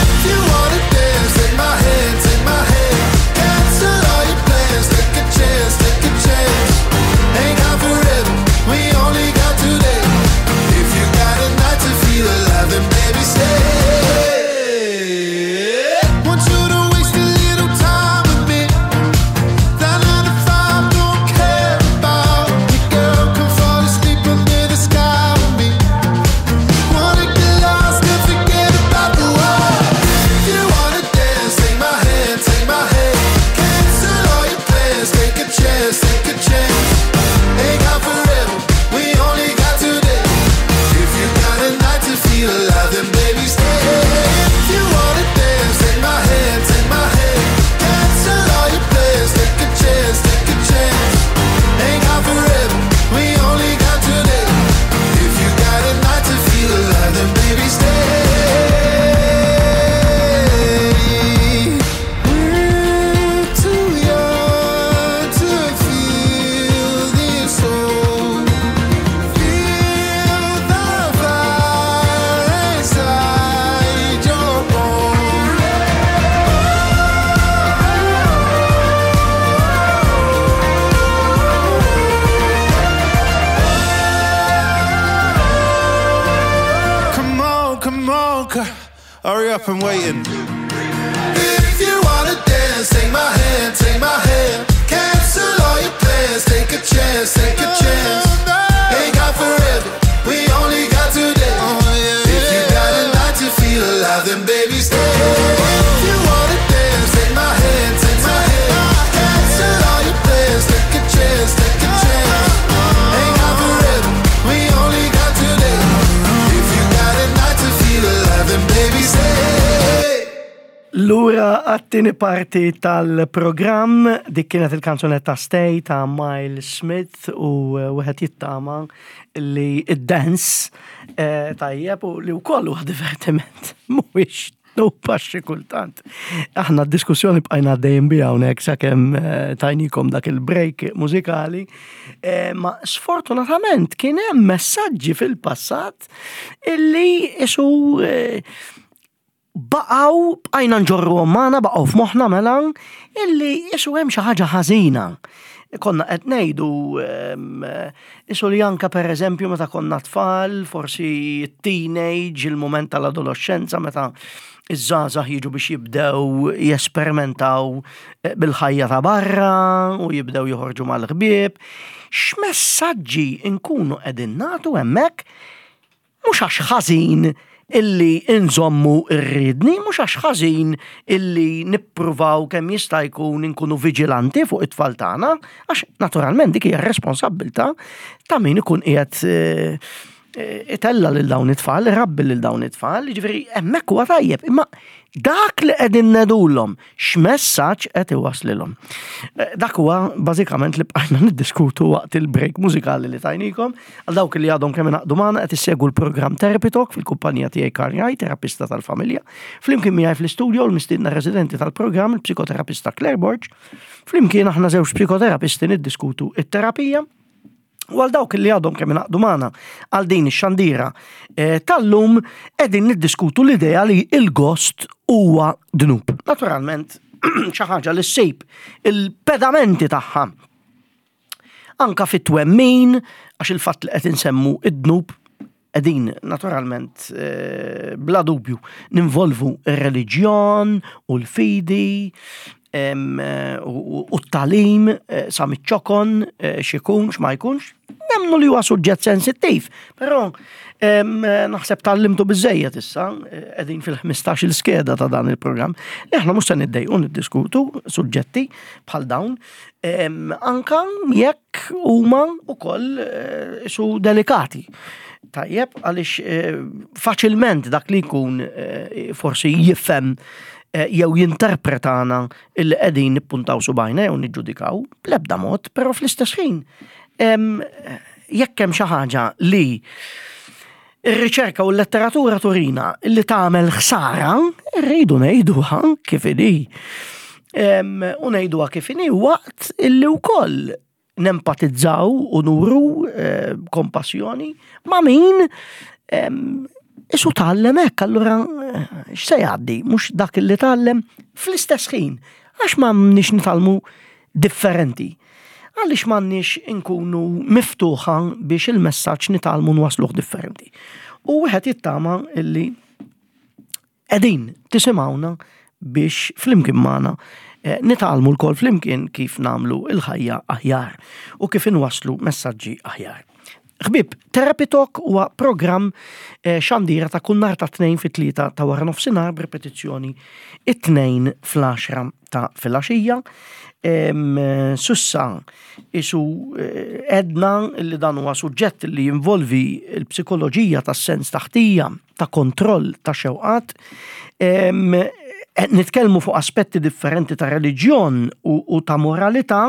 If you wanna dance, take my hand, take my hand. Cancel all your plans, take a chance, take a chance. Ain't got forever, we only got today. If you got a night to feel alive, then baby stay. Want you to waste a little time with me. That nine to five don't care about me, girl. Come fall asleep under the sky with me. Wanna get lost and forget about the world. If you wanna dance, take my hand, take my hand. Cancel all your plans, take a chance, take a chance. Ain't got forever, we only got today. If you got a night to feel alive, then baby stay. If you wanna dance, take my hand, take my hand. Cancel all your plans, take a chance, take a chance. Ain't got forever, we only got today. If you got a night to feel alive, then baby stay. We're too young Come on, girl. Hurry up, I'm waiting. If you wanna dance, take my hand, take my hand. Cancel all your plans, take a chance, take a chance. Ain't got forever, we only got today. If you got a night to feel alive, then baby stay. If you wanna dance, take my hand, take my hand. Cancel all your plans, take a chance, take a chance. Ain't got forever, we only got today. If you got a night to feel alive, then baby stay. Lura għat-tieni parti tal-programm, dik kienet il-kanzunetta "Stay" ta' Miles Smith u eh, wieħed jittama li id-dance eh, tajjeb u li wkoll huwa divertiment mhuwiex dnub xi kultant. Aħna d-diskussjoni bqajna dejjem biha hawnhekk sakemm eh, tajnikom dak il-break mużikali, eh, ma sfortunatament kien hemm messaġġi fil-passat illi isu eh, baqgħu bqajna nġorru magħna, baqgħu f'moħħna mela illi isu hemm xi ħaġa ħażina. Konna qed ngħidu em, isu li anka, pereżempju, meta konna tfal, forsi teenage, il-moment tal-adolescenza, meta iż-żgħażagħ jiġu biex jibdew jesperimentaw eh, bil-ħajja ta' barra u jibdew joħorġu mal-ħbieb. X'messaġġi nkunu qegħdin nagħtu hemmhekk? Mhux għax ħażin illi inżommu ir-riedni, mhux għax ħażin illi nippruvaw kemm jista' jkun inkunu viġilanti fuq it-tfal tagħna, għax naturalment dik hija responsabbiltà ta' min ikun qiegħed eh, eh, itella lil dawn it-tfal, irabbi lil dawn it-tfal, jiġifieri hemmhekk huwa tajjeb, imma dak li qegħdin ngħidulhom, x'messaġġ qed iwaslilhom? Eh, Dak huwa bażikament li bqajna niddiskutu waqt il-break mużikali li tajnikom. Għal dawk li għadhom kemm ingħaqdu magħna, qed issegwu l-programm Therapy Talk fil-kumpanija tiegħi Karl Wright, terapista tal-familja. Flimkien miegħi fl-istudio l-mistiedna residenti tal-programm, il-psikoterapista Claire Borg. Flimkien aħna żewġ psikoterapisti niddiskutu it-terapija. U għal dawk li għadhom kemm ingħaqdu magħna għal din ix-xandira eh, tal-lum, qegħdin niddiskutu l-idea li il-gost huwa dnub. Naturalment, xi ħaġa li ssib il-pedamenti tagħha anka fit-twemmin, għax il-fatt li qed insemmu id-dnub qegħdin naturalment eh, bla dubju ninvolvu ir-reliġjon u l-fidi em, eh, u u t-tagħlim eh, sa miċ-ċokon eh, x'ikun x'ma jkunx. Nemmnu li huwa suġġett sensittiv, però em, eh, naħseb tgħallimtu biżejjed issa, eh, qegħdin fil-ħmistax il-skeda ta' dan il-programm, li aħna mhux se niddejqu niddiskutu suġġetti bħal dawn, em, anka jekk huma wkoll eh, su delikati. Tajjeb, għaliex eh, faċilment dak li jkun eh, forsi jifhem eh, jew jinterpretana illi qegħdin nippuntaw subajna jew niġġudikaw, bl-ebda mod, però fl-istess ħin em, jekk hemm xi ħaġa li ir-riċerka u l-letteratura turina li tagħmel ħsara, rridu ngħiduha kif inhi. Em, U ngħiduha kif inhi waqt illi wkoll nempatizzaw u nuru eh, kompassjoni ma' min em, isu tgħallem hekk, allura eh, x'se jgħaddi, mhux dak li tgħallem fl-istess ħin, għax m'għandniex nitgħallmu differenti? Għaliex m'għandniex inkunu miftuħa biex il-messaġġ nitgħallmu nwasluh differenti? U wieħed jittama illi qegħdin tisimgħuna biex flimkien magħna eh, nitgħallmu lkoll flimkien kif nagħmlu il-ħajja aħjar u kif inwaslu messaġġi aħjar. Ħbieb, Therapy Talk huwa programm eh, xandira ta' kull nhar ta' Tnejn fit-tlieta ta' wara nofsinhar, b'ripetizzjoni it-Tnejn fl-għaxra ta' filgħaxija. Em, eh, S'issa isu eh, għedna li dan huwa suġġett li jinvolvi l-psikoloġija tas-sens ta' ħtija, ta' kontroll, ta' xewqat. Em, qed nitkellmu fuq aspetti differenti ta' reliġjon u, u ta' moralità,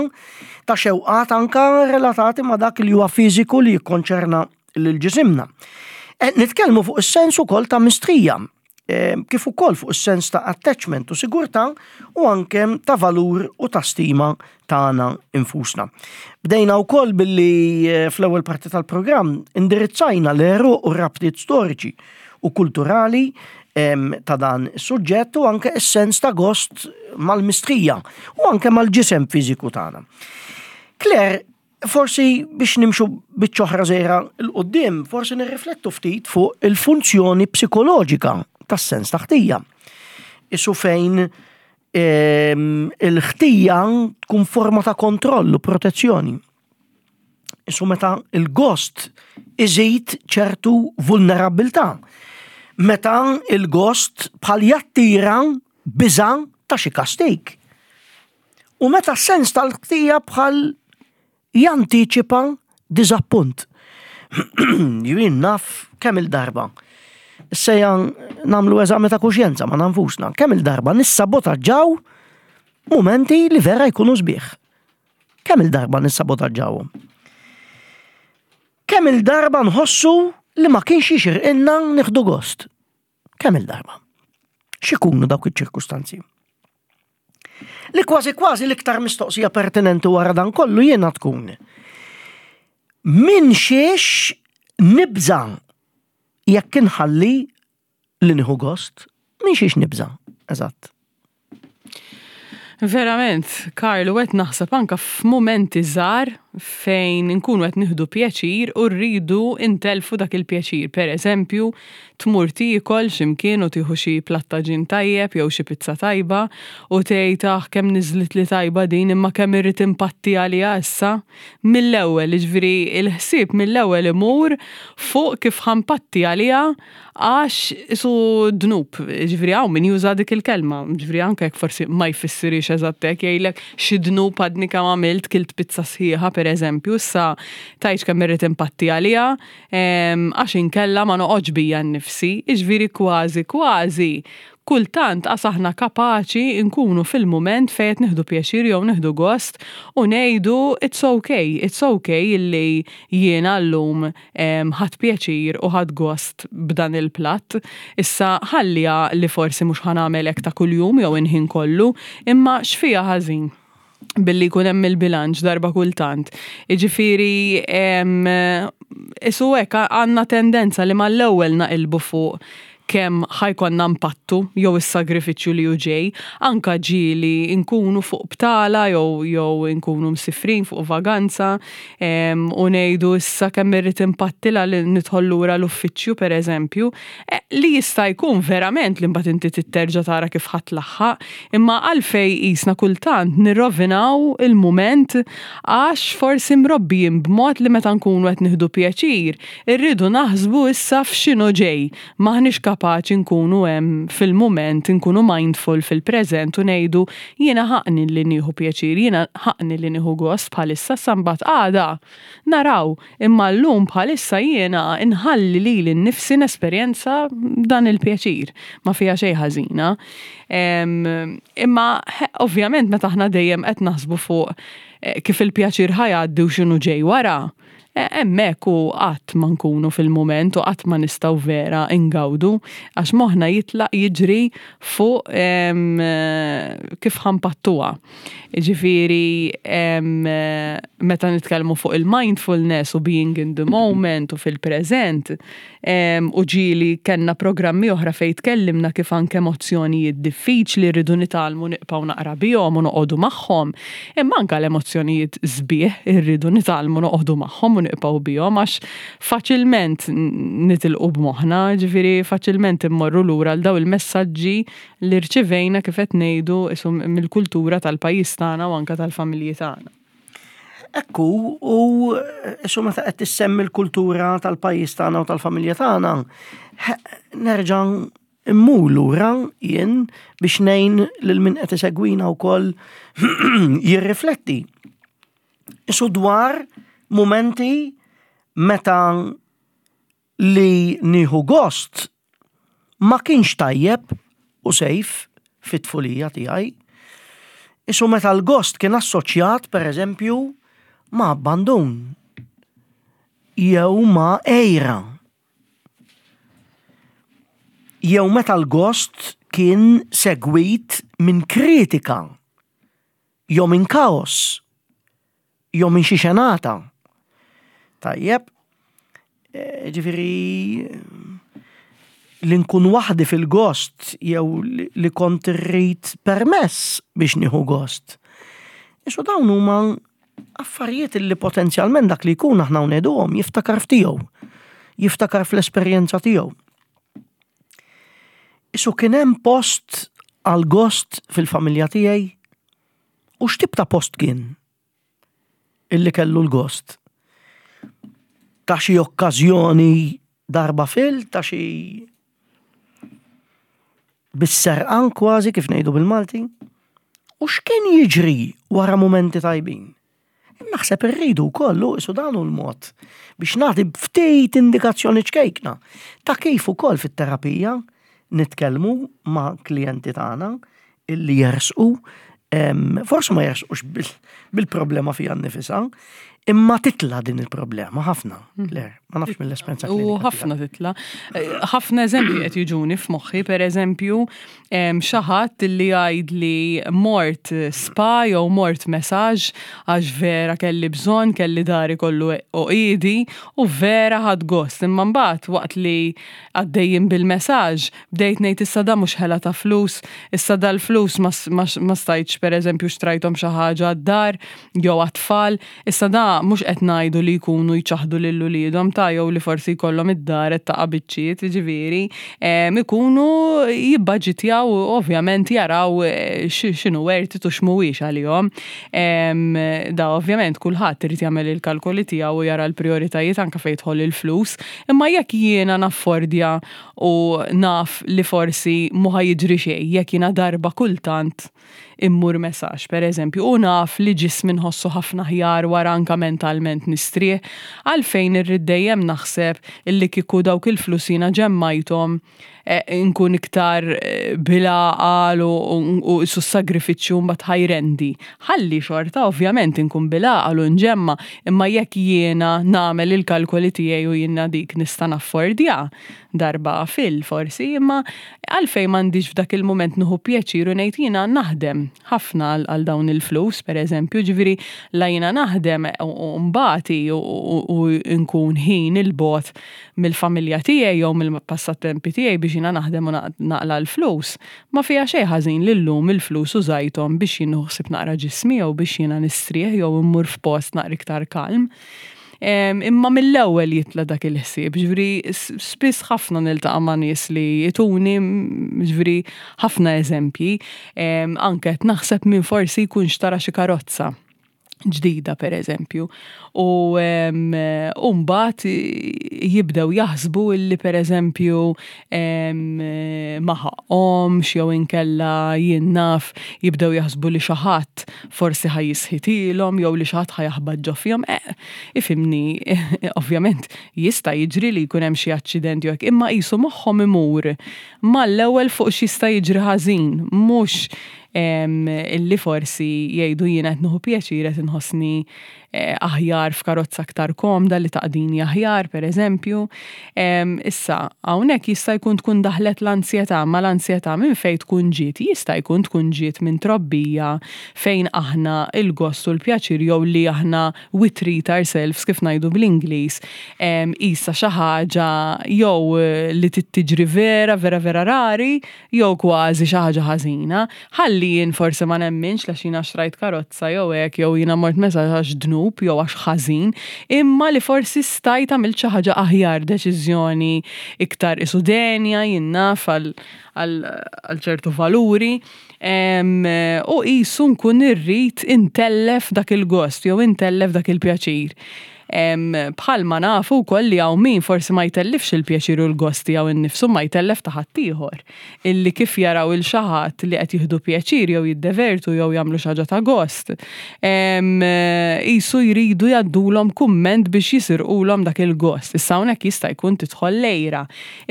ta' xewqat anka relatati ma' dak li huwa fiżiku li jikkonċerna lil ġisimna. Qed nitkellmu fuq is-sens ukoll ta' mistrija, eh, kif ukoll fuq is-sens ta' attachment u sigurtà u anke ta' valur u ta' stima tagħna infusna. Bdejna wkoll billi eh, fl-ewwel parti tal-programm indirizzajna l-għeruq u rabtiet storiċi u kulturali em, ta' dan is-suġġett u anke is-sens ta' gost mal-mistrija u anke mal-ġisem fiżiku tagħna. Claire, Forsi biex nimxu biċċa oħra żgħira 'l quddiem, forsi nirriflettu ftit fuq il-funzjoni psikoloġika tas-sens ta' ħtija. Isu fejn ehm, il-ħtija tkun forma ta' kontroll u protezzjoni. Isu meta il-gost iżid ċertu vulnerabilità. Meta il-gost bħal jattira biża ta' xi kastik. U meta s-sens tal-ħtija bħal jantiċipa diżappunt. Jien naf kemm il-darba. Sejja nagħmlu eżami ta' kuxjenza ma' nfusna. Kemm il-darba nissabotaġġaw momenti li vera jkunu sbieħ. Kemm il-darba nissabotaġġawhom. Kemm il-darba nħossu li ma kienx jixirqilna nieħdu gost. Kemm il-darba. X'ikunu dawk iċ-ċirkustanzi? Li kważi kważi l-iktar mistoqsija pertinenti wara dan kollu jiena tkun. Min xiex nibża jekk inħalli li nieħu gost? Min xiex nibża? Eżatt. Verament, Karlu, qed naħseb anka f'mumenti żgħar fejn nkunu qed nieħdu pjaċir u rridu intelfu dak il-pjaċir. Per eżempju, tmur tiekol x'imkien u tieħu xi platt għaġin tajjeb jew xi pizza tajba u tgħid "Ah, kemm niżlit li tajba din imma kemm irrid impatti għaliha issa." Mill-ewwel, jiġifieri il-ħsieb mill-ewwel imur fuq kif ħa npatti għaliha għax isu dnub, ġifieri hawn min juża dik il-kelma, ġifieri anke jekk forsi ma jfissirix eżatt hekk, jgħidlek xi dnub għadni kemm għamilt kilt pizza sħiħa per eżempju, issa tgħidx kemm irrid impatti għaliha, għax inkella ma noqgħodx bija nnifsi, jiġifieri kważi kważi kultant qas aħna kapaċi nkunu fil-mument fejn qed nieħdu pjaċir jew nieħdu gost u ngħidu it's okay, it's okay illi jiena llum ħadt pjaċir u ħadt gost b'dan il-platt. Issa ħallija li forsi mhux ħa nagħmel hekk ta' kuljum jew il-ħin kollu, imma x'fiha ħażin billi jkun hemm il-bilanċ darba kultant. Jiġifieri isu hekk għandna tendenza li mal-ewwel naqilbu fuq kemm ħa jkollna npattu jew is-sagrifiċċju li hu ġej, anka ġieli nkunu fuq btala jew jew nkunu msifrin fuq vaganza u ngħidu issa kemm irrid impattila li nidħol lura l-uffiċċju pereżempju, e, li jista' jkun verament li mbagħad inti titterġa' tara kif ħa tlaħħaq, imma għalfej qisna kultant nirrovinaw il-mument għax forsi mrobbijin b'mod li meta nkunu qed nieħdu pjaċir, irridu naħsbu issa f'x'inhu ġej, m'aħniex kapaċi nkunu hemm fil-mument, nkunu mindful fil-preżent u ngħidu jiena ħaqni li nieħu pjaċir, jiena ħaqni li nieħu gost bħalissa sa mbagħad għada. Naraw, imma llum bħalissa jiena nħalli lili nnifsi nesperjenza dan il-pjaċir, ma fiha xejn ħażina. Imma ovvjament meta aħna dejjem qed naħsbu fuq eh, kif il-pjaċir ħa jgħaddi u x'inhu ġej wara, eh, hemmhekk u qatt ma nkunu fil-mument u qatt ma nistgħu vera ingawdu għax moħħna jitlaq jiġri fuq kif ħa npattuha. Ġifieri meta nitkellmu fuq il-mindfulness u being in the moment u fil-preżent u ġieli kellna programmi oħra fejn tkellimna kif anke emozzjonijiet diffiċli rridu nitgħallmu nibqgħu naqra bihom u noqogħdu magħhom. Imma anke l-emozzjonijiet sbieħ irridu nitgħallmu noqogħdu magħhom u nibqgħu bihom għax faċilment nitilqu b'moħħna, ġifieri faċilment immorru lura għal daw il-messaġġi li rċivejna kif qed ngħidu isu mill-kultura tal-pajjiż tagħna u anke tal-familji tagħna. Ekku, u isu meta qed tissemmi l-kultura tal-pajjiż tagħna u tal-familja tagħna, nerġa' immur lura jien biex ngħin lil min qed isegwina wkoll jirrifletti. Isu dwar momenti meta li nieħu gost ma kienx tajjeb u safe fit-tfulija tiegħi. Isu meta l-gost kien assoċjat, per eżempju, ma' abbandun jew ma' għira. Jew meta l-gost kien segwit minn kritika, jew minn kaos, jew minn xi xenata. Tajjeb, eh, ġifieri li nkun waħdi fil-gost jew li kont irrid permess biex nieħu gost. Isu dawn huma Affarijiet li potenzjalment dak li jkun aħna ngħiduhom jiftakar f'tiegħu, jiftakar fl-esperjenza tiegħu. Isu kien hemm post għal gost fil-familja tiegħi u x'tip ta' post kien illi kellu l-gost? Ta' xi okkażjoni darba fil, ta' xi bis-serqan kważi kif ngħidu bil-Malti. U x'kien jiġri wara mumenti tajbin? Naħseb irridu wkoll isu dan hu l-mod biex nagħti ftit indikazzjoni ċkejkna ta' kif ukoll fit-terapija nitkellmu ma' klijenti tagħna illi jersqu, forsi ma jersqux bil-problema fija nnifisha, imma titla din il-problema ħafna, hmm. Claire, ma nafx mill-esperjenza. U ħafna titla. Eh, ħafna eżempji qed jiġuni f'moħħi, per eżempju, xi ħadd li jgħid li mort spa jew mort massage għax vera kelli bżonn, kelli dahri kollu għoqiedi u vera ħadt gost. Imma mbagħad waqt li għaddejjin bil-massage, bdejt ngħid issa da mhux ħela ta' flus, issa dal-flus ma stajtx per eżempju xtrajthom xi ħaġa għad-dar jew għat-tfal, issa da mhux qed ngħidu li jkunu jċaħdu lil uliedhom ta' jew li forsi jkollhom id-dar qed taqa' biċċiet, jiġifieri, ikunu jibbaġitjaw u ovvjament jaraw eh, x'inhu worth it u x'mhuwiex għalihom. Da ovvjament kulħadd irid jagħmel il-kalkoli tiegħu u jara l-prijoritajiet anke fejn jidħol il-flus, imma jekk jiena naffordja u naf li forsi mhu ħa jiġri xejn jekk jiena darba kultant immur massage, per eżempju, u naf li ġismi nħossu ħafna aħjar wara anka mentalment nistrieħ, għalfejn irrid dejjem naħseb illi kieku dawk il-flus jiena ġemmajthom eh, nkun iktar eh, bil-għaqal u su sagrifiċċju mbagħad ħa jrendi. Ħalli xorta ovvjament inkun bil-għaqal u nġemma, imma jekk jiena nagħmel il-kalkoli tiegħi u jiena dik nista' naffordja darba fil forsi, imma għalfejn m'għandix f'dak il-moment nieħu pjaċir u ngħid jiena naħdem ħafna għal dawn il-flus, per eżempju, ġifieri la jiena naħdem u mbati u nkun ħin il-bogħod mill-familja tiegħi jew mill-passatempi tiegħi biex jiena naħdem u naqla l-flus. Ma fiha xejn ħażin li llum il-flus użajthom biex jien ħsib naqra ġismi jew biex jiena nistrieħ jew immur f'post naqra iktar kalm. Imma mill-ewwel jitla dak il-ħsieb, ġifieri spiss ħafna niltaqa' ma' nies li jtuni ġifieri ħafna eżempji, anke qed naħseb min forsi jkun xtara xi karozza ġdida per eżempju. U mbagħad jibdew jaħsbu illi per eżempju ma ħaqhomx jew inkella jien naf jibdew jaħsbu li xi ħadd forsi ħa jisħitilhom jew li xi ħadd ħa jaħbat ġo fihom. Eh, ifhimni, ovvjament jista' jiġri li jkun hemm xi aċċident jew hekk, imma qisu moħħhom imur mal-ewwel fuq x'jista' jiġri ħażin, mhux illi forsi jgħidu jiena qed nieħu pjaċir qed inħossni eh, aħjar f'karozza aktar komda li taqdini aħjar, per eżempju. Issa, hawnhekk jista' jkun tkun daħlet l-ansjetà, ma l-ansjetà minn fejn tkun ġiet, jista' jkun tkun ġiet minn trobbija fejn aħna il-gost u l-pjaċir jew li aħna we treat ourselves kif ngħidu bl-Ingliż, isa xi ħaġa jew li tiġri vera, vera, vera rari, jew kważi xi ħaġa ħażina. Ħalli jien forsi ma nemminx la xina xtrajt karozza jew hekk jew jiena mort massage għax dnub jew għax ħażin, imma li forsi stajt għamilt xi ħaġa aħjar, deċiżjoni iktar isudenja jien naf għal ċertu valuri. U qisu nkun irrid intellef dak il-gost jew intellef dak il-pjaċir. Bħalma nafu wkoll li hawn min forsi ma jtellifx il-pjaċir u l-gost tiegħu innifsu ma jtellef ta' ħaddieħor. Illi kif jaraw il xi ħadd li qed jieħdu pjaċir jew jiddevertu jew jagħmlu xi ħaġa ta' gost. Qisu jridu jgħaddulhom kumment biex jisirqulhom dak il-gost. Issa hawnhekk jista' jkun tidħol l-għira.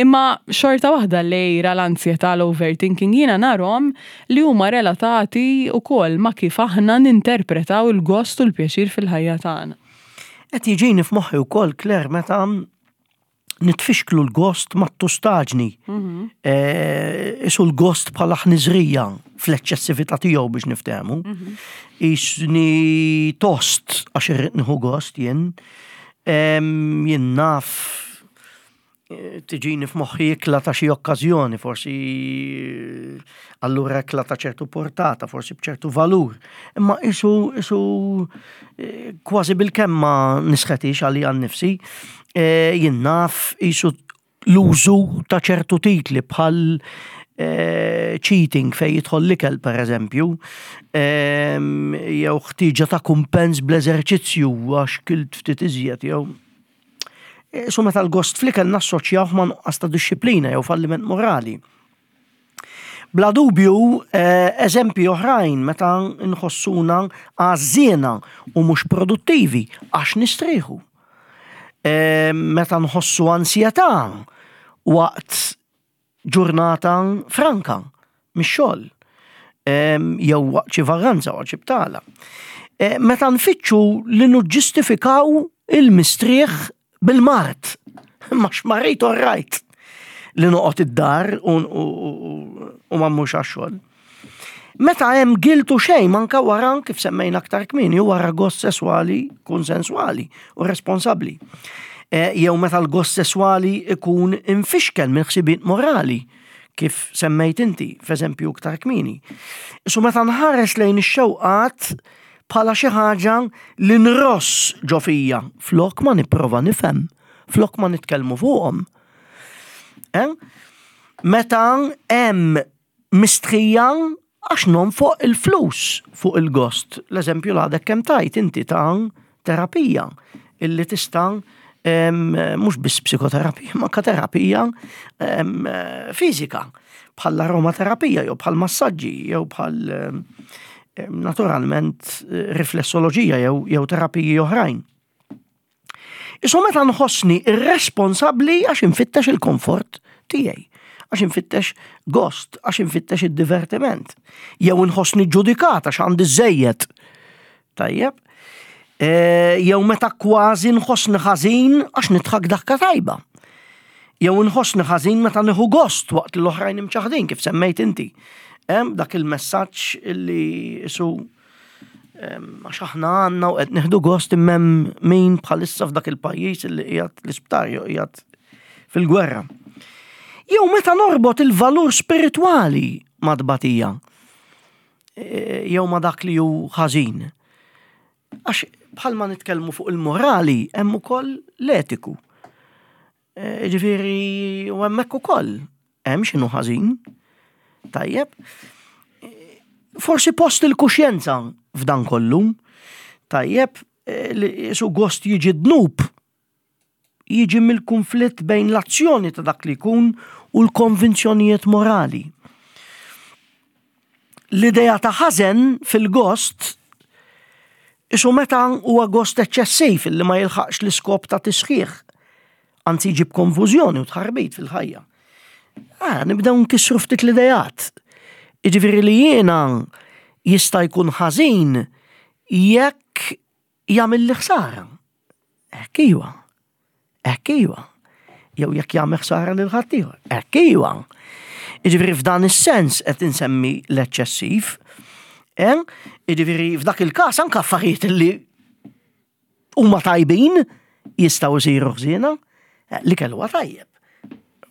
Imma xorta waħda l-għira, l-ansjetà, l-overthinking jiena narhom li huma relatati wkoll ma' kif aħna ninterpretaw il-gost u l-pjaċir fil-ħajja tagħna. Qed jiġini f'moħħi wkoll, Claire, meta nitfixklu l-gost mat-tustaġni. Mhm. Eh, isu l-gost bħala ħniżrija fl-eċċessività tiegħu biex niftehmu. Mhm. Isni tost għax irrid nieħu gost jien. Em, jien naf Tiġini f'moħħi ikla ta' xi okkażjoni, forsi allura ikla ta' ċertu portata, forsi b'ċertu valur. Imma isu isu kważi bil-kemm ma nisħetix għalija nnifsi, jien naf isu l-użu ta' ċertu titli bħal cheating fejn jidħol l-ikel per eżempju, jew ħtieġa ta' kumpens bl-eżerċizzju għax kilt ftit iżjed jew. Su meta l-gost fl-ikel nassoċjawh ma' nuqqas ta' dixxiplina jew falliment morali. Bla dubju, eżempji oħrajn meta nħossuna għażżiena u mhux produttivi għax nistrieħu. Meta nħossu ansjetà waqt ġurnata franka mix-xogħol jew waqt xi vaganza waqt xi btala. Meta nfittxu li niġġustifikaw il-mistrieħ bil-mard, ma xmarrit all right li noqgħod id-dar u ma mmurx għax-xogħol. Meta hemm guilt u shame anke wara kif semmejna aktar kmieni wara gost sesswali konsensuali u responsabbli. Jew meta l-gost sesswali ikun infixkel minn ħsibiet morali kif semmejt inti f'eżempju aktar kmieni. Su meta nħares lejn ix-xewqat bħala xi ħaġa li nross ġo fija flok ma nipprova nifhem, flok ma nitkellmu fuqhom. Meta hemm mistħija għax nonfoq il-flus fuq il-gost. L-eżempju l-għadek kemm tajt inti ta' terapija illi tista' mhux biss psikoterapija, ma terapija fiżika bħal aromaterapija jew bħal massaġġi jew bħal naturalment riflessoloġija jew, jew terapiji oħrajn. Isu meta nħossni irresponsabbli għax infittex il-komfort tiegħi, għax infittex gost, għax infittex id-divertiment. Jew nħossni ġudikat għax għandi żejjed. Tajjeb. Jew meta kważi nħossni ħażin għax nidħak daħka tajba. Jew nħossni ħażin meta nieħu gost waqt li l-oħrajn imċaħdin kif semmejt inti. Dak il-messaġġ illi isu għax aħna għandna u qed nieħdu gost imma min bħalissa f'dak il-pajjiż illi qiegħed l-isptar jew qiegħed fil-gwerra. Jew meta norbot il-valur spiritwali ma' tbatija jew ma' dak li hu ħażin. Għax bħalma nitkellmu fuq il-morali hemm ukoll l-etiku. Ġifieri u hemmhekk ukoll hemm x'inhu ħażin. Tajjeb. Forsi post il-kuxjenza f'dan kollu. Tajjeb, li su gost jiġi dnub jiġi mill-konflitt bejn l-azzjoni ta' dak li jkun u l-konvinzjonijiet morali. L-idea ta' ħażen fil-gost isu meta huwa gost eċċessiv li ma jilħaqx l-iskop ta' tisħiħ, anzi jġib konfużjoni u tħarbit fil-ħajja. Ah, nibdew nkissru ftit l-idejat. Jiġifieri li jiena jista' jkun ħażin jekk jagħmel li ħsara. Hekk iwa. Hekk iwa. Jew jekk jagħmel ħsara lil ħaddieħor. Hekk iwa. Jiġifieri f'dan is-sens qed insemmi l-eċċessiv. Jiġifieri f'dak il-każ anke affarijiet li huma tajbin jistgħu jsiru ħżiena, li kellu huwa tajjeb.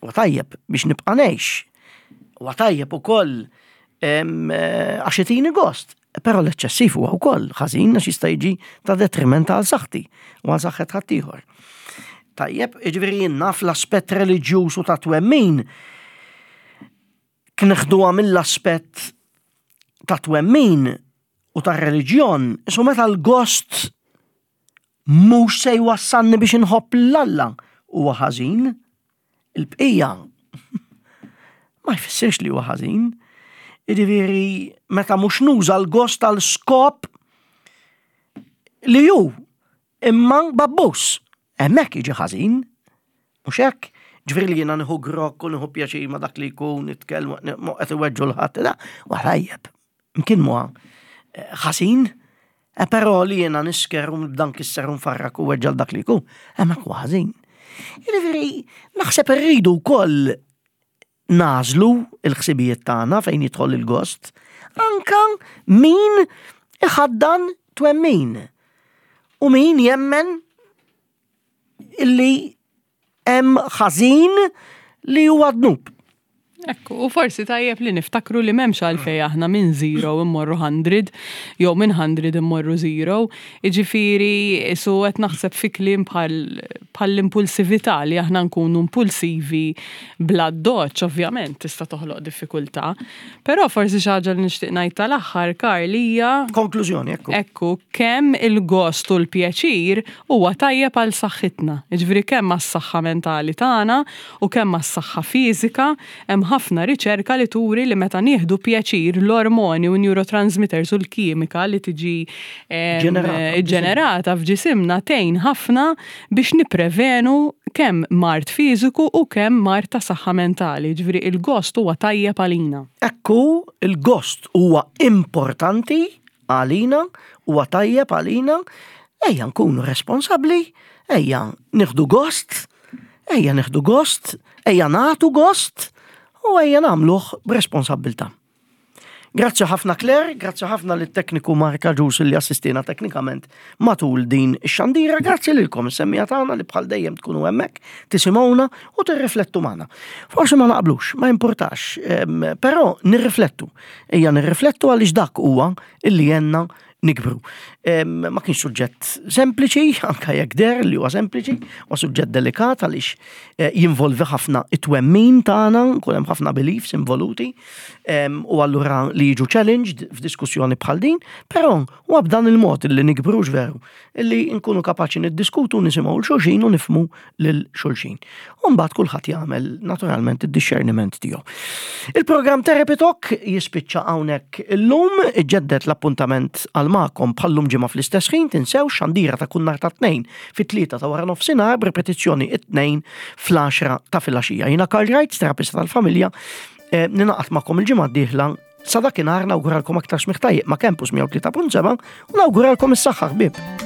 Huwa tajjeb biex nibqa' ngħix. Huwa tajjeb ukoll għax itini gost. Però l-eċċessiv huwa wkoll ħażin għax jista' jiġi ta' detriment għal saħħti u għal saħħet ħaddieħor. Tajjeb, jiġifieri jien naf l-aspett reliġjuż u ta' twemmin kneħduha mill-aspett ta' twemmin u ta' reliġjon, isu meta l-gost mhux se jwassalni biex inħobb lil Alla huwa ħażin, il-bqija ma jfissirx li huwa ħażin. Jiġifieri meta mhux nuża l-gost għal skop li hu imma babbus, hemmhekk jiġi ħażin, mhux hekk. Ġifieri li jiena nieħu grokk u nieħu pjaċir ma' dak li jkun nitkellmu qed iweġġu l ħadd, da huwa tajjeb. Imkien huwa ħażin, però li jiena nisker u nibda nkisser u nfarrak u weġġa' dak li jkun, hemmhekk huwa ħażin. Jiġifieri naħseb irridu wkoll nażlu l-ħsibijiet tagħna fejn jidħol il-gost, anka min iħaddan twemmin u min jemmen illi Hemm ħażin li huwa dnub. Ekku, u forsi tajjeb li niftakru li m'hemmx għalfejn aħna minn zero immorru hundred, jew minn hundred immorru zero. Iġifiri, su qed naħseb fi kliem bħal l-impulsività, li aħna nkunu impulsivi bla doċ, ovvjament, tista' toħloq diffikultà. Però forsi xi ħaġa li nixtieq ngħid tal-aħħar, Karl, hija Konklużjoni, ekku. Ekku, kemm il-gost u l-pjaċir huwa tajjeb għal saħħitna. Jiġifieri kemm għas-saħħa mentali tagħna u kemm għas-saħħa fiżika, hemm ħafna riċerka li turi li meta nieħdu pjaċir, l-ormoni u neurotransmitters u l-kimika li tiġi em, Ġenerata. ġenerata f'ġisimna tgħin ħafna biex niprevenu kemm mard fiżiku u kemm mard ta' saħħa mentali. Ġifieri il-gost huwa tajjeb għalina. Ekku, il-gost huwa importanti għalina, huwa tajjeb għalina, ejja nkunu responsabli, ejja nieħdu gost, ejja nieħdu gost, ejja nagħtu gost, u ejja nagħmluh b'responsabbiltà. Grazzi ħafna, Claire, grazzi ħafna lit tekniku Mark Ġus li assistina teknikament matul din ix-xandira, grazzi lilkom is-semmiegħa tagħna li bħal dejjem tkunu hemmhekk, tisimgħuna u tirriflettu magħna. Forsi ma naqblux, ma importax, em, però nirriflettu. Ejja nirriflettu għaliex dak huwa illi jgħinna nikbru. Em, Ma kienx suġġett sempliċi, anka jekk deher li huwa sempliċi, huwa suġġett delikat għaliex eh, jinvolvi ħafna it-twemmin tagħna, kun hemm ħafna beliefs involuti, em, u allura li jiġu challenged f'diskussjoni bħal din, però huwa b'dan il-mod li nikbru, veru, illi nkunu kapaċi niddiskutu, nisimgħu 'l xulxin u nifhmu lil xulxin. U mbagħad kulħadd jagħmel naturalment id-discerniment tiegħu. Il-programm Therapy Talk jispiċċa hawnhekk illum, iġġedded l-appuntament għal magħkom bħallum ġimgħa fl-istess ħin. Tinsew xandira ta' kull nhar ta' Tnejn fit-tlieta ta' wara nofsinhar, b'repetizzjoni it-Tnejn fl-għaxra ta' filgħaxija. Jiena Karl Wright, terapista tal-familja, eh, ningħaqad magħkom il-ġimgħa d-dieħla. Sa dakinhar nawguralkom aktar smigħ tajjeb ma' Campus mija u tlieta punt seba' u nawguralkom is-saħħa, ħbieb.